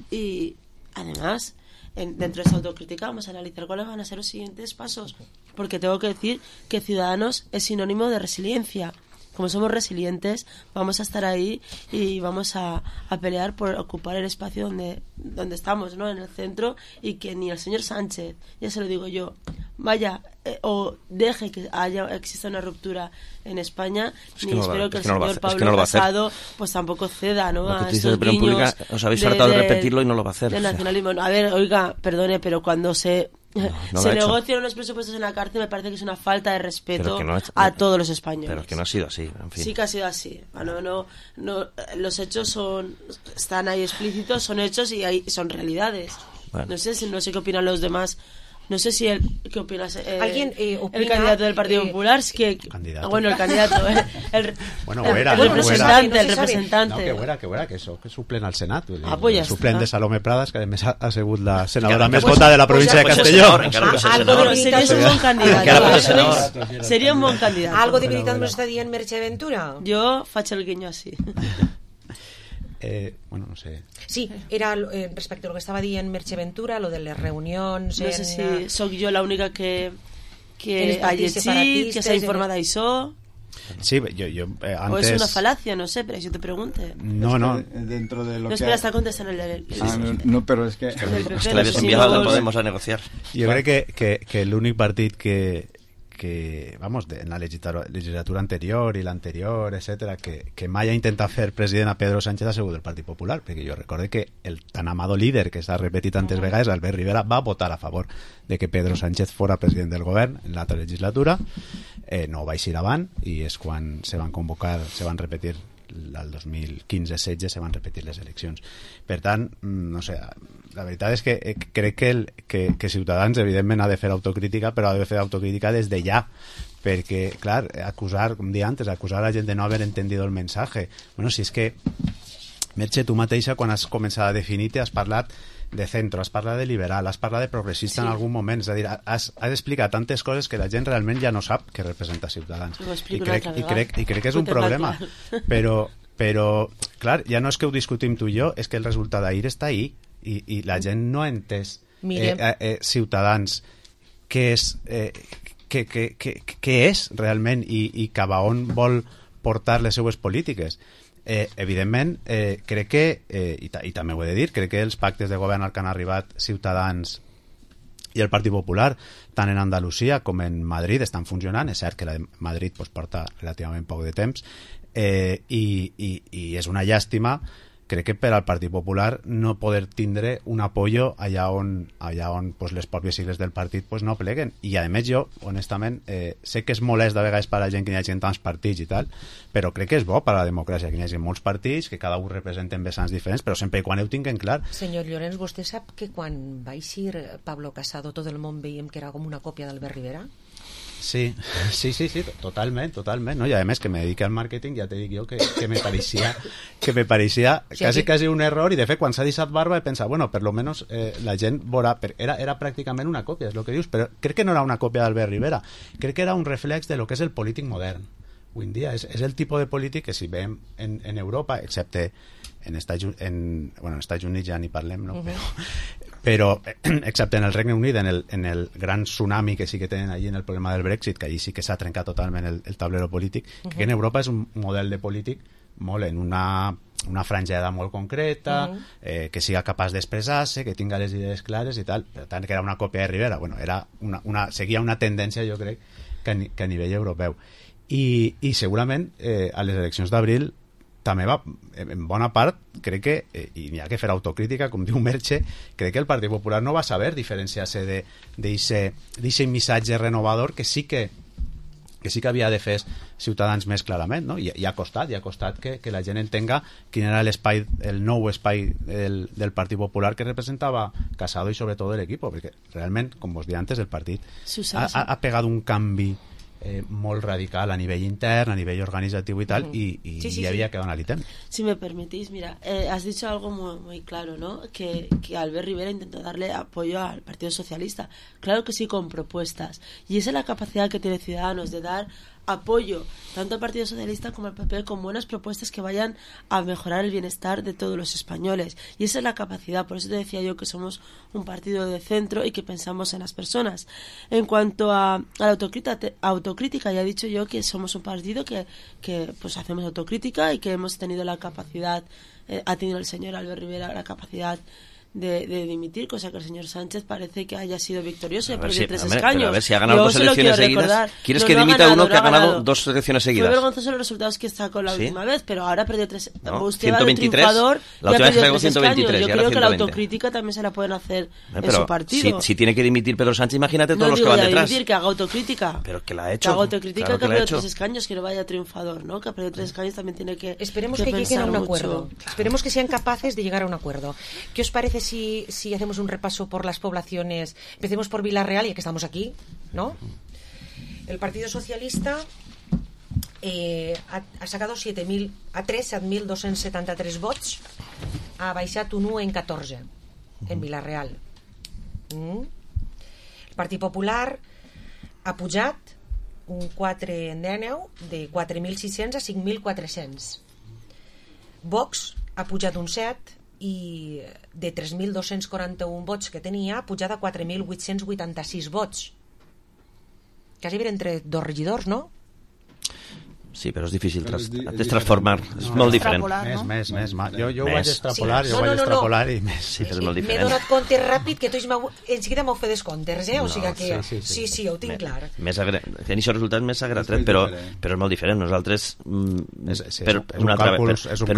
y además dentro de esa autocrítica vamos a analizar cuáles van a ser los siguientes pasos, porque tengo que decir que Ciudadanos es sinónimo de resiliencia. Como somos resilientes, vamos a estar ahí y vamos a pelear por ocupar el espacio donde estamos, ¿no? En el centro, y que ni el señor Sánchez, ya se lo digo yo, vaya o deje que exista una ruptura en España, ni espero que el señor Pablo Casado pues tampoco ceda, ¿no? A estos guiños os habéis hartado de repetirlo y no lo va a hacer. De nacionalismo. A ver, oiga, perdone, pero cuando se negocian unos presupuestos en la cárcel, me parece que es una falta de respeto a todos los españoles. Pero que no ha sido así, en fin. Sí que ha sido así. No, los hechos están ahí explícitos, son hechos y son realidades. Bueno. No sé qué opinan los demás. No sé si ¿qué opinas? ¿Alguien opina, el candidato del Partido Popular? Es que, ¿candidato? Bueno, el candidato. El representante. No, que fuera, que suplen al Senat. Pues suplen de Salomé Pradas, que además ha sigut la senadora més vota de la província de Castelló. Seria un bon candidat. Algo de veritat nos està dient Merche Ventura? Jo faig el guiño així. Bueno, no sé. Sí, era respecte a lo que estava dient Merche Ventura, lo de les reunions... No sé si sóc jo l'única que ha llegit, que s'ha informat d'això... Sí, yo antes... O es una falacia, no sé, pero yo te pregunte. No. Dentro de lo no, espera, está contestando el no, pero es que... Es que la habías enviado, no podemos a negociar. Jo crec que l'únic partit que vamos, en la legislatura anterior i l'anterior, etcètera, que mai ha intentat fer president a Pedro Sánchez ha sigut el Partit Popular, perquè jo recorde que el tan amado líder que s'ha repetit tantes vegades, Albert Rivera, va votar a favor de que Pedro Sánchez fora president del govern en l'altra legislatura. No va eixir avant, i és quan se van repetir el 2015-16 se van repetir les eleccions. Per tant, no sé, la veritat és que crec que Ciutadans evidentment ha de fer autocrítica, però ha de fer autocrítica des de ja, perquè, clar, com dia antes, acusar a la gent de no haver entendido el mensaje. Bueno, si és que, Merche, tu mateixa, quan has començat a definir-te, has parlat de centro, has parlat de liberal, has parlat de progressista en algun moment, és a dir, has explicat tantes coses que la gent realment ja no sap què representa Ciutadans. I crec que és un problema, però clar, ja no és que ho discutim tu i jo, és que el resultat d'ahir està ahí i la gent no ha entès Ciutadans què és realment i cap a on vol portar les seues polítiques. Evidentment, crec que, i també ho he de dir, crec que els pactes de govern al que han arribat Ciutadans i el Partit Popular, tant en Andalusia com en Madrid, estan funcionant. És cert que la de Madrid porta relativament poc de temps, i és una llàstima, crec que per al Partit Popular no poder tindre un apoyo allà on pues, les pròpies sigles del partit pues, no pleguen. I a més jo, honestament, sé que és molest de vegades per a la gent que hi hagi tants partits i tal, però crec que és bo per a la democràcia que hi hagi molts partits, que cada un representen vessants diferents, però sempre i quan ho tinguin clar. Senyor Llorenç, vostè sap que quan va eixir Pablo Casado tot el món veiem que era com una còpia d'Albert Rivera? Sí, totalment, no? I a més que me dedique al màrqueting, ja te dic jo que me pareixia quasi un error, i de fet quan s'ha deixat barba he pensat, bueno, per lo menos la gent veurà, era pràcticament una còpia, és el que dius, però crec que no era una còpia d'Albert Rivera, crec que era un reflex de lo que és el polític modern avui en dia. És el tipus de polític que si veiem en Europa, excepte en Estats Units ja ni parlem, no? Però excepte en el Regne Unit, en el gran tsunami que sí que tenen allí en el problema del Brexit, que allí sí que s'ha trencat totalment el tablero polític, que en Europa és un model de polític molt en una franjada molt concreta, que siga capaç d'expressar-se, que tinga les idees clares i tal. Per tant, que era una còpia de Rivera. Bueno, seguia una tendència, jo crec, que a nivell europeu. I segurament a les eleccions d'abril també va, en bona part, crec que, i n'hi ha que fer autocrítica, com diu Merche, crec que el Partit Popular no va saber diferenciar-se d'aquest missatge renovador que sí que havia de fer Ciutadans més clarament, no? I ha costat que la gent entenga quin era l'espai, el nou espai del Partit Popular que representava Casado i sobretot l'equip, perquè realment, com vos deia antes, el partit ha pegat un canvi molt radical a nivell intern, a nivell organizatiu y tal, y había que dar ítem. Si me permitís, mira, has dicho algo muy, muy claro, ¿no? Que Albert Rivera intentó darle apoyo al Partido Socialista. Claro que sí, con propuestas. Y esa es la capacidad que tiene Ciudadanos de dar apoyo tanto al Partido Socialista como al PP con buenas propuestas que vayan a mejorar el bienestar de todos los españoles, y esa es la capacidad. Por eso te decía yo que somos un partido de centro y que pensamos en las personas. En cuanto a la autocrítica, ya he dicho yo que somos un partido que pues hacemos autocrítica y que hemos tenido la capacidad, ha tenido el señor Albert Rivera la capacidad de dimitir, cosa que el señor Sánchez parece que haya sido victorioso y ha perdido 3 escaños. A ver, si ha ganado 2 elecciones seguidas. ¿Quieres que dimita uno que ha ganado 2 elecciones seguidas? Fue vergonzoso los resultados que sacó la última vez, pero ahora ha perdido 3. No, usted va de triunfador y ha perdido 3 escaños. Yo creo que la autocrítica también se la pueden hacer en su partido. Si tiene que dimitir Pedro Sánchez, imagínate todos los que van detrás. Dimitir, que haga autocrítica. Pero que la ha hecho. Que haga autocrítica, claro, que ha perdido 3 escaños, que no vaya triunfador, ¿no? Que ha perdido 3 escaños, también tiene que. Esperemos que lleguen a un acuerdo. Esperemos que sean capaces de llegar a un acuerdo. ¿Qué os parece si hacemos un repaso por las poblaciones? Empecemos por Villarreal, ya que estamos aquí, ¿no? El Partido Socialista ha sacado 7.273 vots, ha baixat un 1 en 14 en Villarreal. El Partit Popular ha pujat un 4 en 19 de 4.600 a 5.400. Vox ha pujat un 7 i de 3.241 vots que tenia ha pujat a 4.886 vots. Quasi ben entre 2 regidors, no? Sí, però és difícil transformar. És molt diferent. Més. Jo ho vaig extrapolar i més. Sí, però és molt diferent. M'he donat compte ràpid que tots enseguida m'ho fer descomptes, o sigui que sí, ho tinc clar. Tenir això resultat més agratret, però és molt diferent. Nosaltres, per una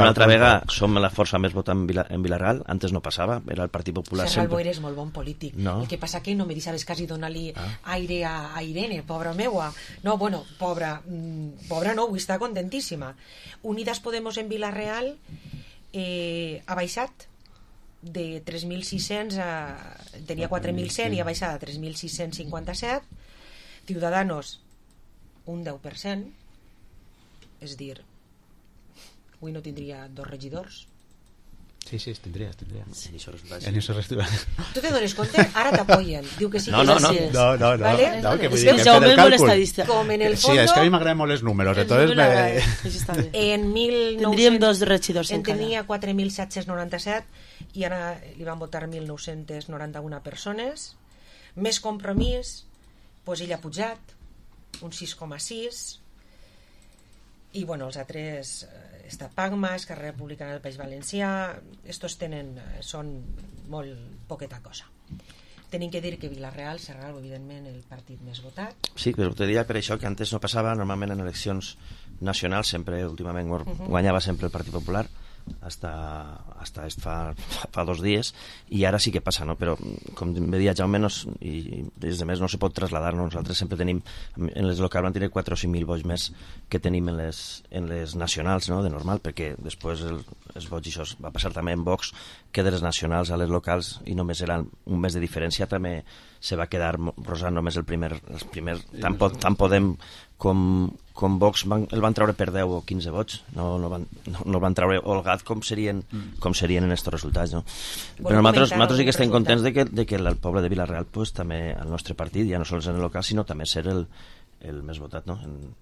altra vegada, som la força més votant en Villarreal. Antes no passava, era el Partit Popular sempre. Serral Boira és molt bon polític. El que passa que no me deixaves quasi donar-li aire a Irene, pobra meua. No, bueno, pobra no, avui està contentíssima. Unidas Podemos en Villarreal ha baixat de 3.600 tenia 4.100 i ha baixat a 3.657. Ciudadanos un 10%, és dir, avui no tindria 2 regidors. Sí, tindries. En això resultat. Tu te dones compte? Ara t'apoyen. Diu que sí, que no. ¿Vale? Que es que Jaume és molt estadista. Com en el fondo... Sí, és que a mi m'agraden molt els números. En 1900... Tindríem 2 regidors en tenia 4.797 i ara li van votar 1.991 persones. Més Compromís, doncs ell ha pujat un 6,6, i bueno, els altres està Pagma, Esquerra Republicana del País Valencià, estos són molt poqueta cosa. Tenim que dir que Villarreal serà evidentment el partit més votat. Sí, però te diria per això que antes no passava, normalment en eleccions nacionals sempre, últimament guanyava sempre el Partit Popular, hasta fa 2 dies, i ara sí que passa, no? Però com me deia Jaume, i des de més no se pot traslladar, no? Nosaltres sempre tenim, en les locals van tenir 4 o 5.000 vots més que tenim en les nacionals, no? De normal, perquè després els vots, i això va passar també en Vox, que de les nacionals a les locals, i només eren un mes de diferència, també se va quedar rosant només el primer tant Podem com Vox el van treure per 10 o 15 vots, no el van treure holgat com serien en estos resultats, no? Però nosaltres sí que estem contents de que el poble de Villarreal, pues, també el nostre partit, ja no sols en el local, sinó també ser el més votat, no?, en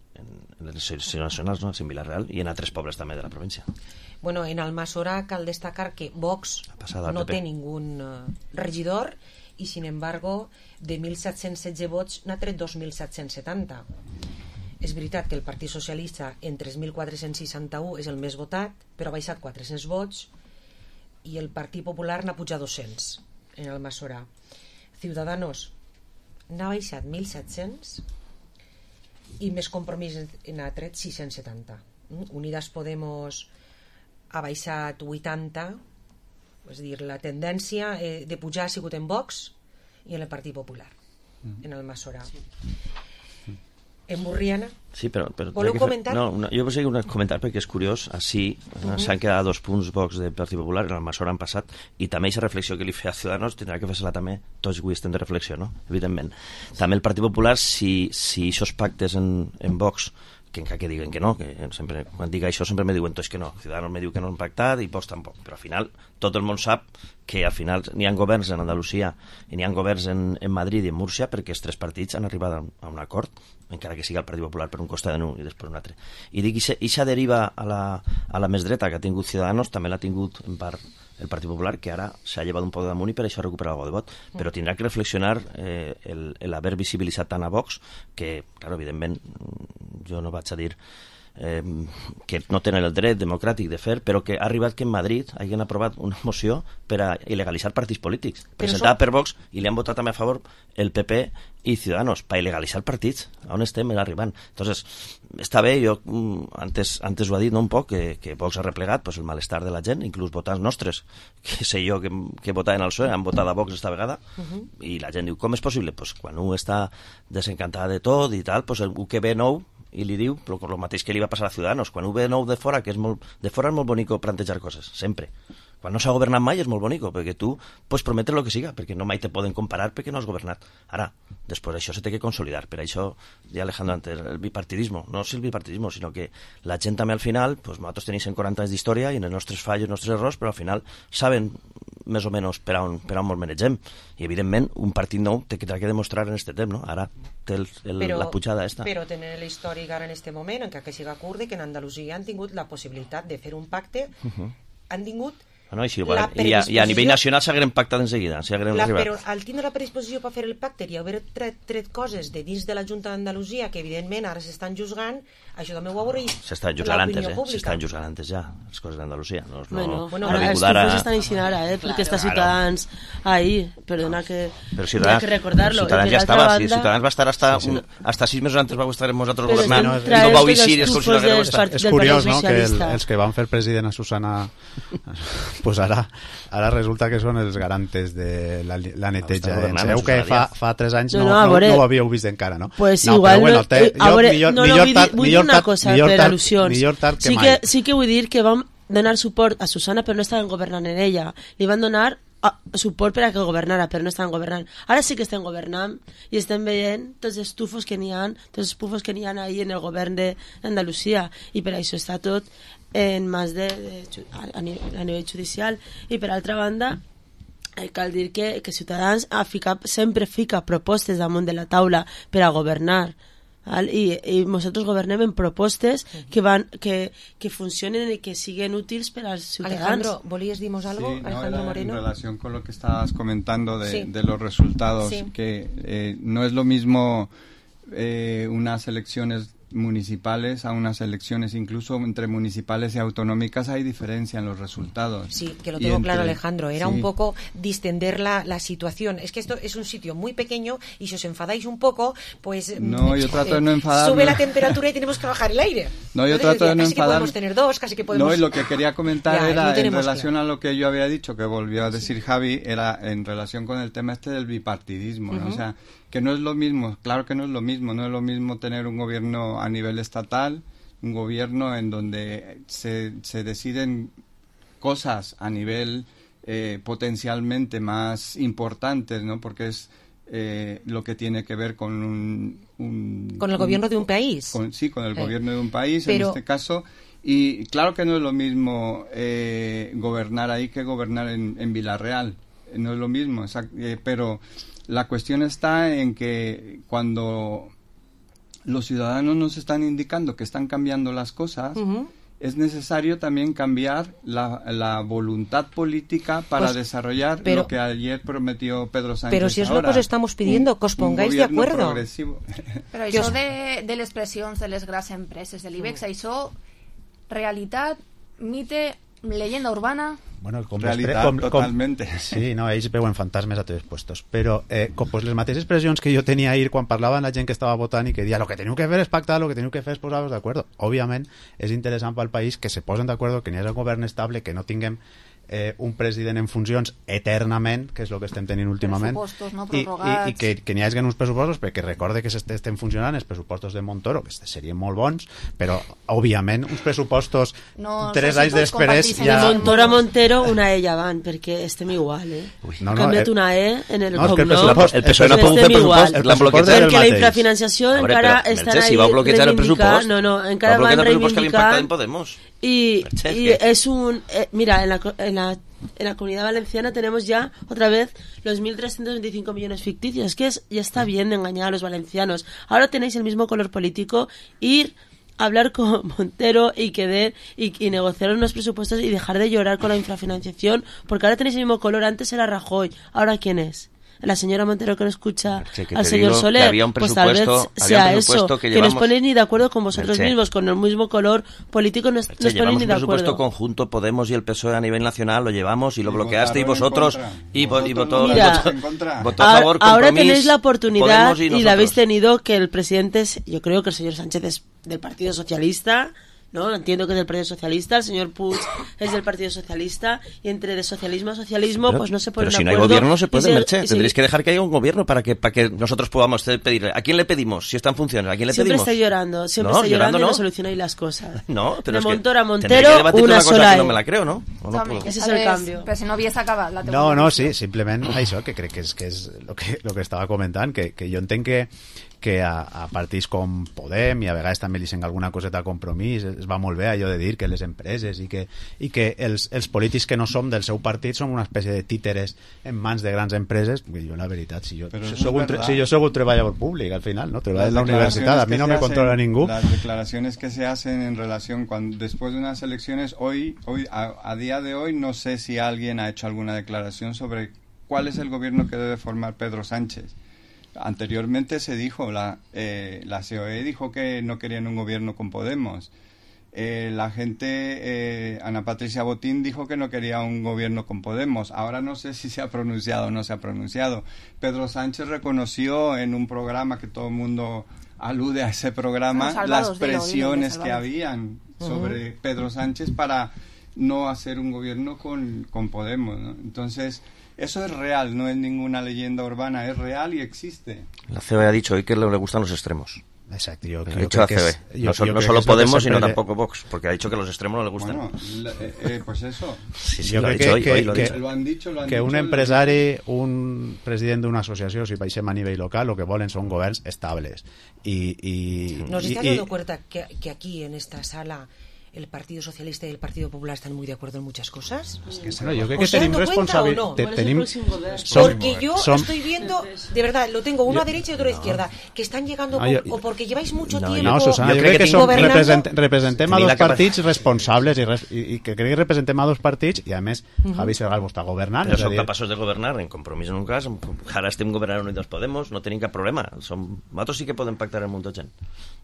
les eleccions nacionals, no?, en Vila-real i en altres pobles també de la província. Bueno, en Almassora cal destacar que Vox no té ningún regidor i, sin embargo, de 1.716 vots n'ha tret 2.770. És veritat que el Partit Socialista en 3.461 és el més votat, però ha baixat 400 vots, i el Partit Popular n'ha pujat 200 en Almassora. Ciudadanos n'ha baixat 1.700 i més Compromís n'ha tret 670. Unidas Podemos ha baixat 80, és a dir, la tendència de pujar ha sigut en Vox i en el Partit Popular, en Almassora. En Burriana? Sí, però voleu comentar? No, jo vull seguir un comentar perquè és curiós. Així s'han quedat 2 punts Vox del Partit Popular, en Almassora han passat, i també aquesta reflexió que li feia a Ciudadanos tindrà que fer-se-la també tots avui estem de reflexió, no? Evidentment. També el Partit Popular, si aquests pactes en Vox, que encara que diguen que no, que sempre, quan dic això sempre me diuen tots que no, Ciudadanos me diu que no han pactat i Vox tampoc, però al final tot el món sap que al final n'hi ha governs en Andalusia i n'hi ha governs en Madrid i en Múrcia perquè els 3 partits han arribat a un acord, encara que sigui el Partit Popular per un costat d'un i després un altre. I dic, ixa deriva a la més dreta que ha tingut Ciudadanos també l'ha tingut en part el Partit Popular, que ara s'ha llevat un poc damunt i per això ha recuperat algo de vot, però tindrà que reflexionar l'haver visibilitzat tant a Vox que, clar, evidentment jo no vaig a dir que no tenen el dret democràtic de fer, però que ha arribat que en Madrid hagin aprovat una moció per a il·legalitzar partits polítics, presentada per Vox, i li han votat també a favor el PP i Ciudadanos, per il·legalitzar partits. On estem arribant? Entonces, està bé, jo antes ho ha dit, no, un poc, que Vox ha replegat pues, el malestar de la gent, inclús votants nostres, que sé jo que votaven al PSOE, han votat a Vox esta vegada, i la gent diu, com és possible? Pues, quan un està desencantada de tot i tal, pues, el que ve nou i li diu el mateix que li va passar a Ciudadanos, quan ho ve nou de fora, que de fora és molt bonico plantejar coses, sempre. Quan no s'ha governat mai és molt bonico, perquè tu pots prometre el que siga, perquè no mai te poden comparar perquè no has governat. Ara, després això se té que consolidar, per això, ja Alejandro antes, el bipartidismo, no és el bipartidismo, sinó que la gent també al final, pues, nosaltres tenim 140 anys d'història i en els nostres fallos, els nostres errors, però al final saben més o menys per on ens manegem, i evidentment un partit nou té que demostrar en aquest temps, no? Ara té la pujada esta. Però tenen l'històric ara en aquest moment, encara que siga curt, que en Andalusia han tingut la possibilitat de fer un pacte, han tingut no, i a nivell nacional s'hagueren pactat en seguida, però al tindre la predisposició per fer el pacte i haver tret coses de dins de la Junta d'Andalusia que evidentment ara s'estan juzgant, això també ho avorrit s'estan juzgant antes ja les coses d'Andalusia ara els tufos estan eixint ara perquè està Ciutadans ahí, perdona que hi ha que recordar-lo, Ciutadans ja estava, Ciutadans va estar hasta 6 mesos antes va estar amb nosaltres governant i no vau eixir és curiós, no?, que els que van fer president a Susana pues ara resulta que són els garantes de la neteja. Sabeu que fa 3 anys no ho havíeu vist encara, no? Pues igual, vull dir una cosa per al·lusions. Sí que vull dir que vam donar suport a Susana però no estaven governant en ella. Li van donar suport per a que governara, però no estaven governant. Ara sí que estem governant i estem veient tots els tufos que n'hi ha, tots els pufos que n'hi ha ahí en el govern d'Andalusia, i per això està tot en mans a nivell judicial. I per altra banda cal dir que Ciutadans sempre fica propostes damunt de la taula per a governar, i nosaltres governem en propostes que funcionen y que siguen útiles para los ciudadanos. Alejandro, ¿volías dimos algo? Sí, Alejandro Moreno. En relación con lo que estabas comentando de los resultados, que no es lo mismo unas elecciones municipales a unas elecciones, incluso entre municipales y autonómicas hay diferencia en los resultados. Sí, que lo tengo claro, Alejandro. Era un poco distender la situación. Es que esto es un sitio muy pequeño y si os enfadáis un poco, pues... No, yo trato de no enfadarme. Sube la temperatura y tenemos que bajar el aire. No, yo trato de no enfadarme. Casi que podemos tener 2, casi que podemos... No, y lo que quería comentar era en relación a lo que yo había dicho, que volvió a decir Javi, era en relación con el tema del bipartidismo, ¿no? O sea, que no es lo mismo, claro que no es lo mismo tener un gobierno a nivel estatal, un gobierno en donde se deciden cosas a nivel potencialmente más importantes, ¿no? Porque es lo que tiene que ver con con el gobierno de un país. Con el gobierno de un país, en este caso. Y claro que no es lo mismo gobernar ahí que gobernar en Vila-real. No es lo mismo, pero la cuestión está en que cuando los ciudadanos nos están indicando que están cambiando las cosas, es necesario también cambiar la voluntad política para desarrollar lo que ayer prometió Pedro Sánchez. Pero si es lo que os estamos pidiendo, que os pongáis de acuerdo. Progresivo. Però això de les pressions de les grans empreses de l'IBEX, això, realitat, mite, leyenda urbana... Bueno, realitat, totalmente. Sí, no, ells veuen fantasmes a tots els puestos. Però pues les mateixes expressions que jo tenia ahir quan parlava amb la gent que estava votant i que deia lo que teniu que fer és pactar, lo que teniu que fer és posar-vos d'acord. Òbviament, és interessant pel país que se posen d'acord, que n'hi hagi un govern estable, que no tinguem un president en funcions eternament, que és el que estem tenint últimament, no i que n'hi hagi uns pressupostos, perquè recorde que estem funcionant els pressupostos de Montoro, que serien molt bons, però òbviament uns pressupostos 3 anys després ja... De Montoro a Montero una E ja van, perquè estem igual, canviat una E en el cognom, el PSOE no ha pogut fer pressupost, l'han bloquejat, perquè la infrafinanciació encara estan ahí reivindicant, encara van reivindicar, y es un mira, en la Comunidad Valenciana tenemos ya otra vez los 1.325 millones ficticios. Es que ya está bien de engañar a los valencianos. Ahora tenéis el mismo color político, ir a hablar con Montero y negociar unos presupuestos y dejar de llorar con la infrafinanciación, porque ahora tenéis el mismo color. Antes era Rajoy, ¿ahora quién es? La señora Montero que no escucha al señor Soler, pues tal vez sea eso, que no os ponéis ni de acuerdo con vosotros mismos, con el mismo color político no os ponéis ni de acuerdo. Un presupuesto conjunto, Podemos y el PSOE a nivel nacional, lo llevamos y lo bloqueasteis vosotros y votó a favor. Ahora tenéis la oportunidad y la habéis tenido, que el presidente yo creo que el señor Sánchez es del Partido Socialista, ¿no? Entiendo que es del Partido Socialista, el señor Puig es del Partido Socialista, y entre de socialismo a socialismo, pero, pues no se ponen de acuerdo. Pero si no hay gobierno no se puede, Merche. Tendréis que dejar que haya un gobierno para que nosotros podamos pedirle. ¿A quién le pedimos? Si están funcionando, ¿a quién le pedimos? Siempre está llorando y no solucionáis las cosas. No, pero de Montoro a Montero, una sola. Que no me la creo, ¿no? Ese es el cambio. Però si no havies acabat la teoria. No, sí, simplement això, que crec que és lo que estava comentant, que jo entenc que a partits com Podem i a vegades també li sent alguna coseta a Compromís es va molt bé allò de dir que les empreses i que els polítics que no som del seu partit som una espècie de títeres en mans de grans empreses. Jo la veritat, si jo soc un treballador públic al final, no treballo en la universitat, a mi no me controla ningú. Las declaraciones que se hacen en relación después de unas elecciones, hoy a día de hoy no sé si alguien ha hecho alguna declaración sobre cuál es el gobierno que debe formar Pedro Sánchez. Anteriormente se dijo, la COE dijo que no querían un gobierno con Podemos. La gente, Ana Patricia Botín dijo que no quería un gobierno con Podemos. Ahora no sé si se ha pronunciado o no se ha pronunciado. Pedro Sánchez reconoció en un programa que todo el mundo alude a ese programa las presiones que habían sobre Pedro Sánchez para no hacer un gobierno con Podemos, ¿no? Entonces, eso es real, no es ninguna leyenda urbana, es real y existe. La COE ha dicho hoy que le gustan los extremos. Exacto, yo creo que la COE. No solo Podemos, sino tampoco Vox, porque ha dicho que los extremos no le gustan. Bueno, pues eso. Sí, lo ha dicho hoy. Lo han dicho. Que un empresari, un president d'una associació, si baixem a nivell local, lo que volen són governs estables. ¿Nos estás dando cuenta que aquí, en esta sala, el Partido Socialista y el Partido Popular están muy de acuerdo en muchas cosas? Bueno, yo creo que tenim responsabilidad. Porque yo estoy viendo, de verdad, lo tengo uno a derecha y otro a izquierda, que están llegando o porque lleváis mucho tiempo. No, Susana, yo crec que representem a dos partits responsables i que crec que representem a dos partits i a més Javi Serral està governant. Però som capaços de governar, en Compromís en un cas, ara estem governant Unidos Podemos, no tenim cap problema. Nosaltres sí que podem pactar en molta gent.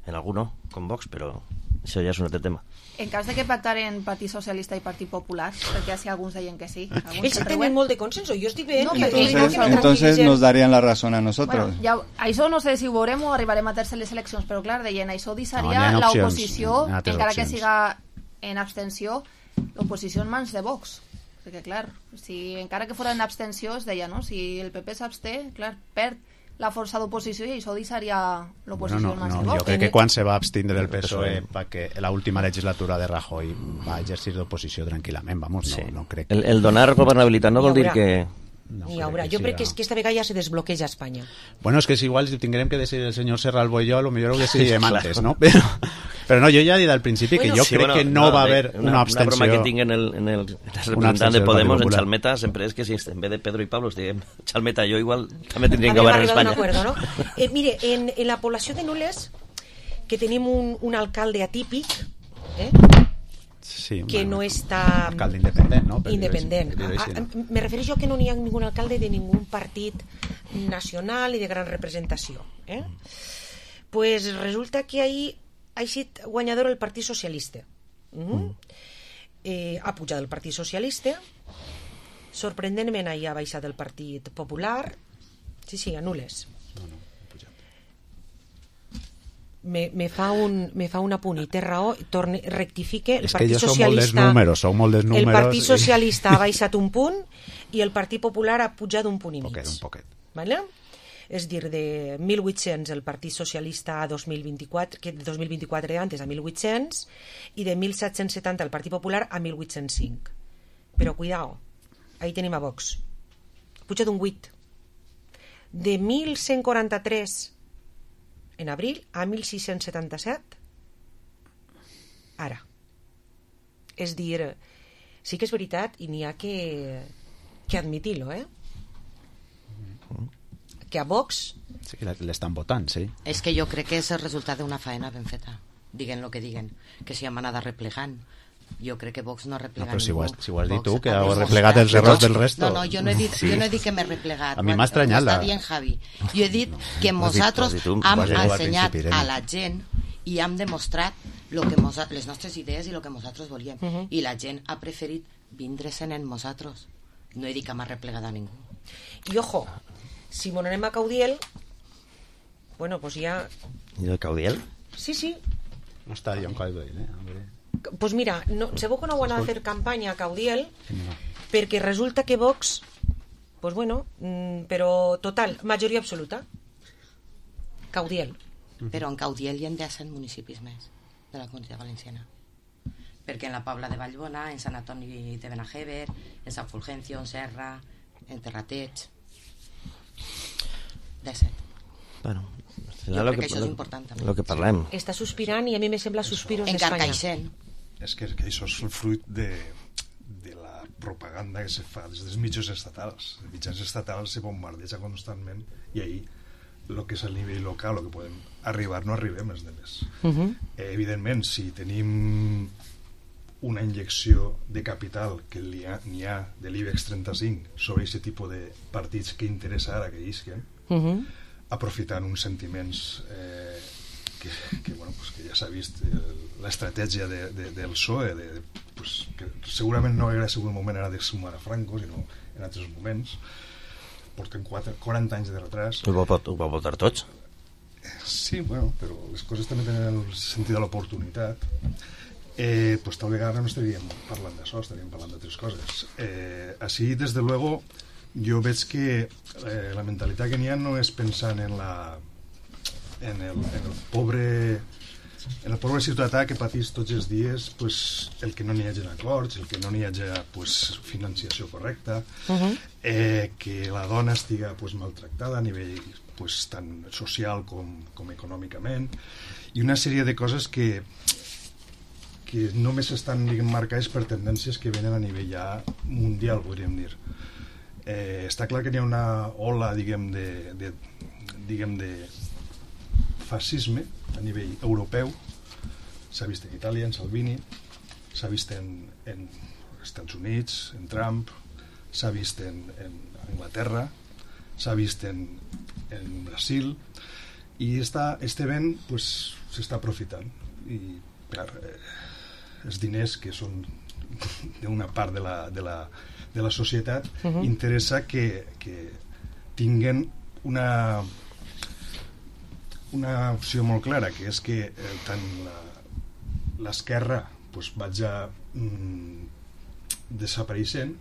En algú no, com Vox, però això ja és un altre tema. En cas de que pactaren Partit Socialista i Partit Popular, perquè si alguns deien que sí. Ells tenen molt de consenso, jo estic veient entonces nos darían la razón a nosotros. Bueno, això no sé si ho veurem o arribarem a terceres eleccions, però clar, deien, això deixaria l'oposició, encara que siga en abstenció, l'oposició en mans de Vox. Perquè clar, si encara que fora en abstenció es deia, no? Si el PP s'absté, clar, perd la força d'oposició i això deixaria l'oposició en mans de Vox. Jo crec que quan se va abstindre el PSOE perquè l'última legislatura de Rajoy va exercir d'oposició tranquil·lament, vamos, no crec. El donar governabilitat no vol dir que... Ni haurà. Jo crec que esta vegada ja se desbloqueja Espanya. Bueno, és que si igual si tinguem que decidir el senyor Serralbo i jo, potser ho decidirem antes, no? Però no, jo ja he dit al principi que jo crec que no va haver una abstenció. Una broma que tinc en el representant de Podemos, en Chalmeta, sempre és que si en vez de Pedro i Pablo diguem Chalmeta, jo igual també tindríem que governar Espanya. ¿No? Mire, en la població de Nules que tenim un alcalde atípic, Sí, que no està... Alcalde independent, no? Independent. Sí. Me refereixo a que no n'hi ha ningú alcalde de ningú partit nacional i de gran representació. Pues resulta que ahir ha sigut guanyador el Partit Socialista. Ha pujat el Partit Socialista, sorprenentment ahir ha baixat el Partit Popular. Sí, a nules. Me fa un apunt i té raó, rectifique. És que jo som molt dels números, el Partit Socialista ha baixat un punt i el Partit Popular ha pujat un punt i mig. Un poquet. Vale? És dir, de 1.800 el Partit Socialista a 2024, que de 2024 d'antes a 1.800, i de 1.770 el Partit Popular a 1.805. Però cuidao, ahí tenim a Vox. Puja d'un 8. De 1.143 en abril a 1.677 ara. És dir, sí que és veritat i n'hi ha que admitir-lo, que a Vox... Sí, que l'estan votant, sí. És que jo crec que és el resultat d'una faena ben feta. Diguen lo que diguen, que si hem anat replegant. Jo crec que Vox no ha replegat ningú. Però si ho has dit tu, que heu replegat els errors del resto. No, jo no he dit que m'he replegat. A mi m'ha estranyat. Està bien, Javi. Jo he dit que nosaltres hem ensenyat a la gent i hem demostrat les nostres idees i el que nosaltres volíem. I la gent ha preferit vindre-se'n en nosaltres. No he dit que m'ha replegat a ningú. I ojo, si m'ho anem a Caudiel, bueno, pues ja... I el Caudiel? Sí. No està jo en Caudiel, Pues mira, segur que no van a fer campanya a Caudiel, perquè resulta que Vox, pues bueno, però total, majoria absoluta. Caudiel. Però en Caudiel hi ha 100 municipis més de la Comunitat Valenciana. Perquè en la Pobla de Vallbona, en Sant Antoni de Benajever, en Sant Fulgencio, en Serra, en Terrateig... 17. Bueno, jo crec que això és important també. El que parlem. Està sospirant i a mi me sembla suspiros d'Espanya. En Carcaixent. És que això és el fruit de la propaganda que se fa des dels mitjans estatals. Els mitjans estatals se bombardeja constantment i ahir el que és a nivell local, el que podem arribar, no arribem els demés. Evidentment, si tenim una injecció de capital que n'hi ha de l'IBEX 35 sobre aquest tipus de partits que interessa ara que isquen, aprofitant uns sentiments que ja s'ha vist l'estratègia del PSOE que segurament no hauria sigut el moment ara de sumar a Franco, sinó en altres moments. Porten 40 anys de retras. Ho va votar tots? Sí, bueno, però les coses també tenen el sentit de l'oportunitat. Pues tal vegada no estaríem parlant d'això, estaríem parlant d'altres coses. Així, des de luego, jo veig que la mentalitat que n'hi ha no és pensant en el pobre ciutadà que patís tots els dies el que no n'hi hagi acords, el que no n'hi hagi financiació correcta, que la dona estiga maltractada a nivell tant social com econòmicament, i una sèrie de coses que només estan marcades per tendències que venen a nivell ja mundial, podríem dir. Està clar que hi ha una ola, diguem, de fascisme a nivell europeu. S'ha vist en Itàlia, en Salvini, s'ha vist en Estats Units, en Trump, s'ha vist en Anglaterra, s'ha vist en Brasil, i este vent s'està aprofitant. I clar, els diners que són d'una part de la societat interessa que tinguen una opció molt clara, que és que tant l'esquerra vaig desapareixent,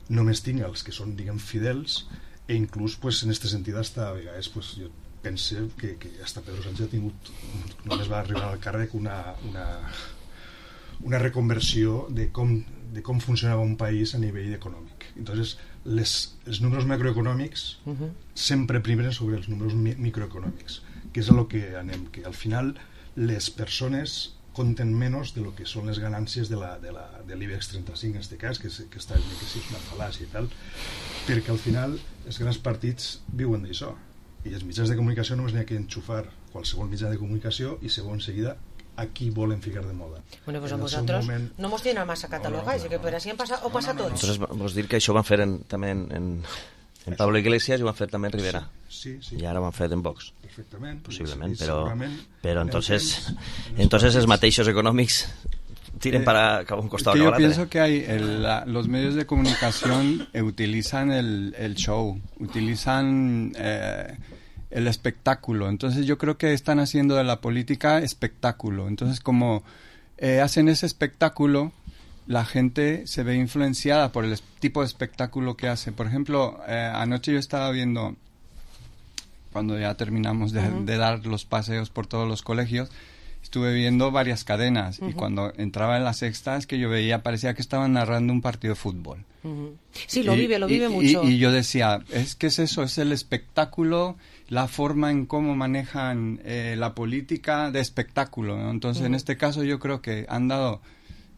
només tinc els que són, diguem, fidels, i inclús en aquest sentit a vegades jo penso que hasta Pedro Sánchez ha tingut, només va arribar al càrrec, una reconversió de com funcionava un país a nivell econòmic. Entonces, els números macroeconòmics sempre primen sobre els números microeconòmics, que és a lo que anem, que al final les persones compten menys de lo que són les ganàncies de l'IBEX 35 en aquest cas, que està que sí, és una fal·làcia i tal, perquè al final els grans partits viuen d'això. i els mitjans de comunicació només n'hi ha que enxufar qualsevol mitjà de comunicació i segons seguida a qui volen ficar de moda. Bueno, pues a vosaltres no mos tienen massa catalogados, que per així passa tots. Entonces, vos dir que això ho van fer també en Pablo Iglesias i ho han fet també en Rivera. Sí. I ara ho han fet en Vox. Perfectament. Possiblement, però entonces els mateixos econòmics tiren para un costado. Que yo pienso que los medios de comunicación utilizan el show, utilizan el espectáculo. Entonces yo creo que están haciendo de la política espectáculo. Entonces como hacen ese espectáculo, la gente se ve influenciada por el tipo de espectáculo que hace. Por ejemplo, anoche yo estaba viendo, cuando ya terminamos de dar los paseos por todos los colegios, estuve viendo varias cadenas y cuando entraba en la sexta es que yo veía, parecía que estaban narrando un partido de fútbol. Sí, lo vive mucho. Y yo decía, ¿qué es eso? Es el espectáculo, la forma en cómo manejan la política de espectáculo, ¿no? Entonces, en este caso yo creo que han dado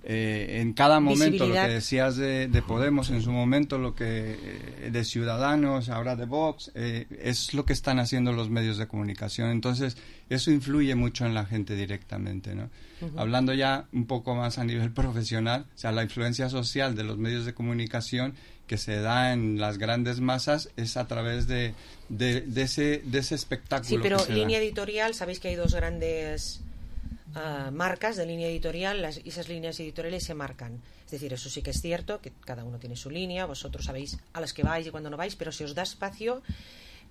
en cada momento lo que decías de Podemos en su momento, lo que de Ciudadanos, ahora de Vox, es lo que están haciendo los medios de comunicación. Entonces eso influye mucho en la gente directamente, ¿no? Hablando ya un poco más a nivel profesional, o sea, la influencia social de los medios de comunicación que se da en las grandes masas es a través de ese espectáculo. Sí, pero que se línea da. editorial, sabéis que hay dos grandes marcas de línea editorial, y esas líneas editoriales se marcan. Es decir, eso sí que es cierto, que cada uno tiene su línea, vosotros sabéis a las que vais y cuando no vais, pero se os da espacio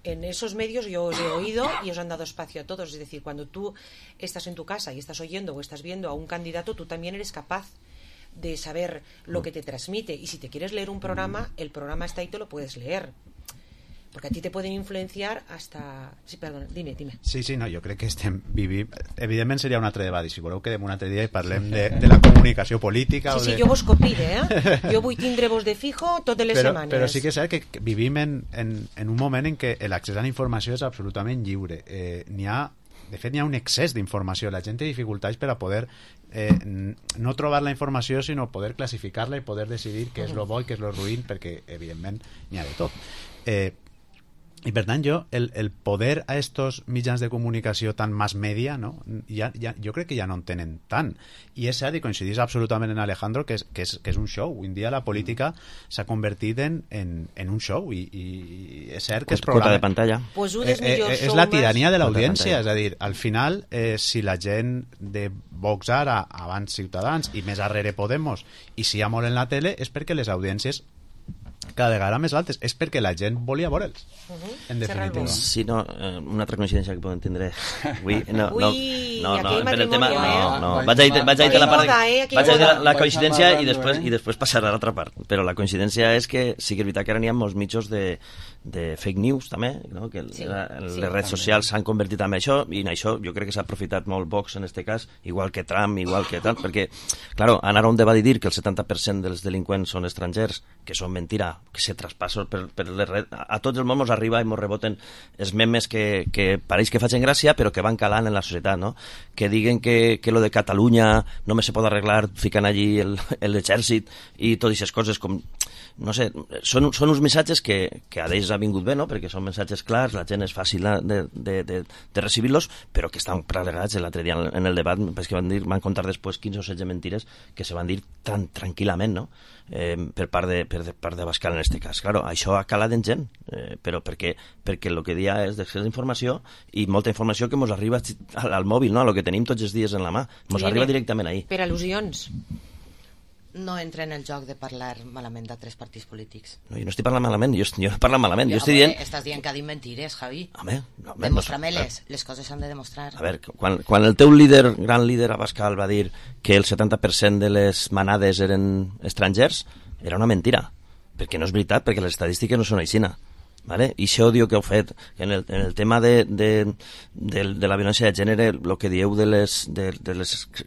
en esos medios. Yo os he oído y os han dado espacio a todos. Es decir, cuando tú estás en tu casa y estás oyendo o estás viendo a un candidato, tú también eres capaz de saber lo que te transmite, y si te quieres leer un programa, el programa está ahí, te lo puedes leer. Porque a ti te pueden influenciar hasta... Sí, perdona, dime. Sí, no, jo crec que estem vivint... Evidentment seria un altre debat, i si voleu quedem un altre dia i parlem de la comunicació política. Sí, jo vos copide, Jo vull tindre-vos de fijo totes les setmanes. Però sí que és cert que vivim en un moment en què l'accés a la informació és absolutament lliure. De fet, n'hi ha un excés d'informació. La gent té dificultats per a poder no trobar la informació, sinó poder classificar-la i poder decidir què és lo bo i què és lo ruïn, perquè, evidentment, n'hi ha de tot. I per tant el poder a estos mitjans de comunicació tan mass media, no? Jo crec que ja no en tenen tant, i és cert, i coincidís absolutament en Alejandro, que és un show. Avui en dia la política s'ha convertit en un show, i és cert que es programa de pantalla. Pues és la tirania de l'audiència, és a dir, al final si la gent de Vox ara, abans Ciutadans i més arrere Podemos, i si hi ha molt en la tele, és perquè les audiències cada vegada més altes, és perquè la gent volia veure'ls, en definitiva. Sí, no, una altra coincidència que podem tindre avui, no, per el tema, vaig a dir la part vaig a dir la coincidència i després passar a l'altra part, però la coincidència és que sí que és veritat que ara n'hi ha molts mitjos de fake news també, no? Que les redes socials s'han convertit en això, i en això jo crec que s'ha aprofitat molt Vox en este cas, igual que Trump, igual que tal, perquè, claro, anar a un debat i dir que el 70% dels delinqüents són estrangers, que són mentira, que se traspassen per les redes, a tots els món ens arriba i ens reboten els memes que pareix que facin gràcia però que van calant en la societat, no? Que diguen que lo de Catalunya només se pot arreglar ficant allí l'exèrcit i totes aquestes coses, com no sé, són uns missatges que a d'ells ha vingut bé, no? Perquè són missatges clars, la gent és fàcil de recibir-los, però que estan plegats. L'altre dia en el debat van contar després 15 o 16 mentires que se van dir tan tranquil·lament, no? Per part de Abascal en este cas. Claro, això ha calat en gent, però perquè el que dia és d'excés d'informació i molta informació que ens arriba al mòbil, no? A lo que tenim tots els dies en la mà, ens arriba directament ahí. Per al·lusions. No entra en el joc de parlar malament d'altres partits polítics. No, jo no estic parlant malament, jo no parlo malament. Jo estic dient... Estàs dient que ha dit mentires, Javi. Home, demostra-me-les. Les coses s'han de demostrar. A veure, quan el teu gran líder Abascal va dir que el 70% de les manades eren estrangers, era una mentira. Perquè no és veritat, perquè les estadístiques no són aixina. ¿Vale? I això diu que heu fet en el tema de la violència de gènere, el que dieu de les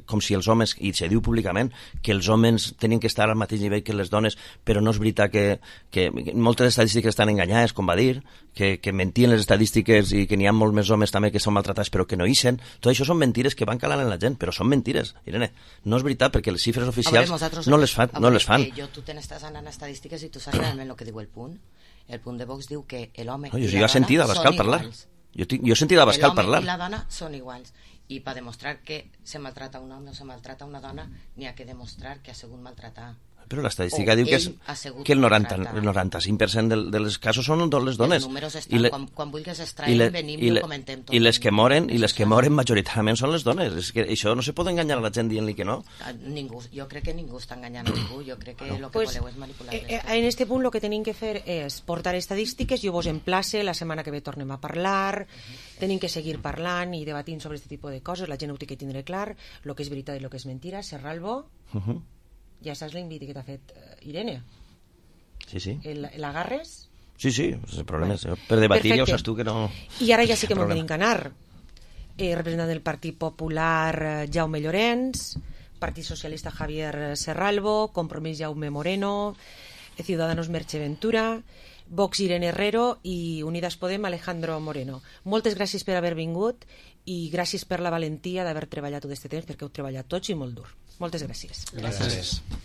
com si els homes, i se diu públicament que els homes tenien que estar al mateix nivell que les dones, però no és veritat que moltes estadístiques estan enganyades, com va dir, que mentien les estadístiques i que n'hi ha molts més homes també que són maltratats però que no ixen. Tot això són mentires que van calant en la gent, però són mentires, Irene. No és veritat, perquè les xifres oficials no les fan. Tu t'estàs anant a estadístiques i tu saps realment el que diu el punt. El punt de Vox diu que l'home... Jo he sentit a Abascal parlar. Jo he sentit a Abascal parlar. L'home i la dona són iguals. I per demostrar que se maltrata un home o se maltrata una dona, n'hi ha que demostrar que ha sigut maltratar. Però l'estadística diu que el 95% de les casos són les dones. Els números estan, quan vulguis extraiem, venim i ho comentem tot. I les que moren majoritàriament són les dones. És que això no se pot enganyar a la gent dient-li que no. Ningú, jo crec que ningú està enganyant a ningú, jo crec que el que voleu és manipular. En este punt el que tenim que fer és portar estadístiques, jo vos emplace, la setmana que ve tornem a parlar, tenim que seguir parlant i debatint sobre aquest tipus de coses, la gent ho té que tindre clar, el que és veritat i el que és mentira. Serralvo, ja saps l'invite que t'ha fet Irene? Sí. L'agarres? Sí, el problema és per debatir, ja ho saps tu que no... I ara ja sí que m'ho tenim que anar. Representant del Partit Popular, Jaume Llorenç, Partit Socialista, Javier Serralvo, Compromís, Jaume Moreno, Ciudadanos, Merche Ventura, Vox, Irene Herrero i Unidas Podem, Alejandro Moreno. Moltes gràcies per haver vingut i gràcies per la valentia d'haver treballat tot aquest temps, perquè heu treballat tots i molt dur. Moltes gràcies. Gràcies.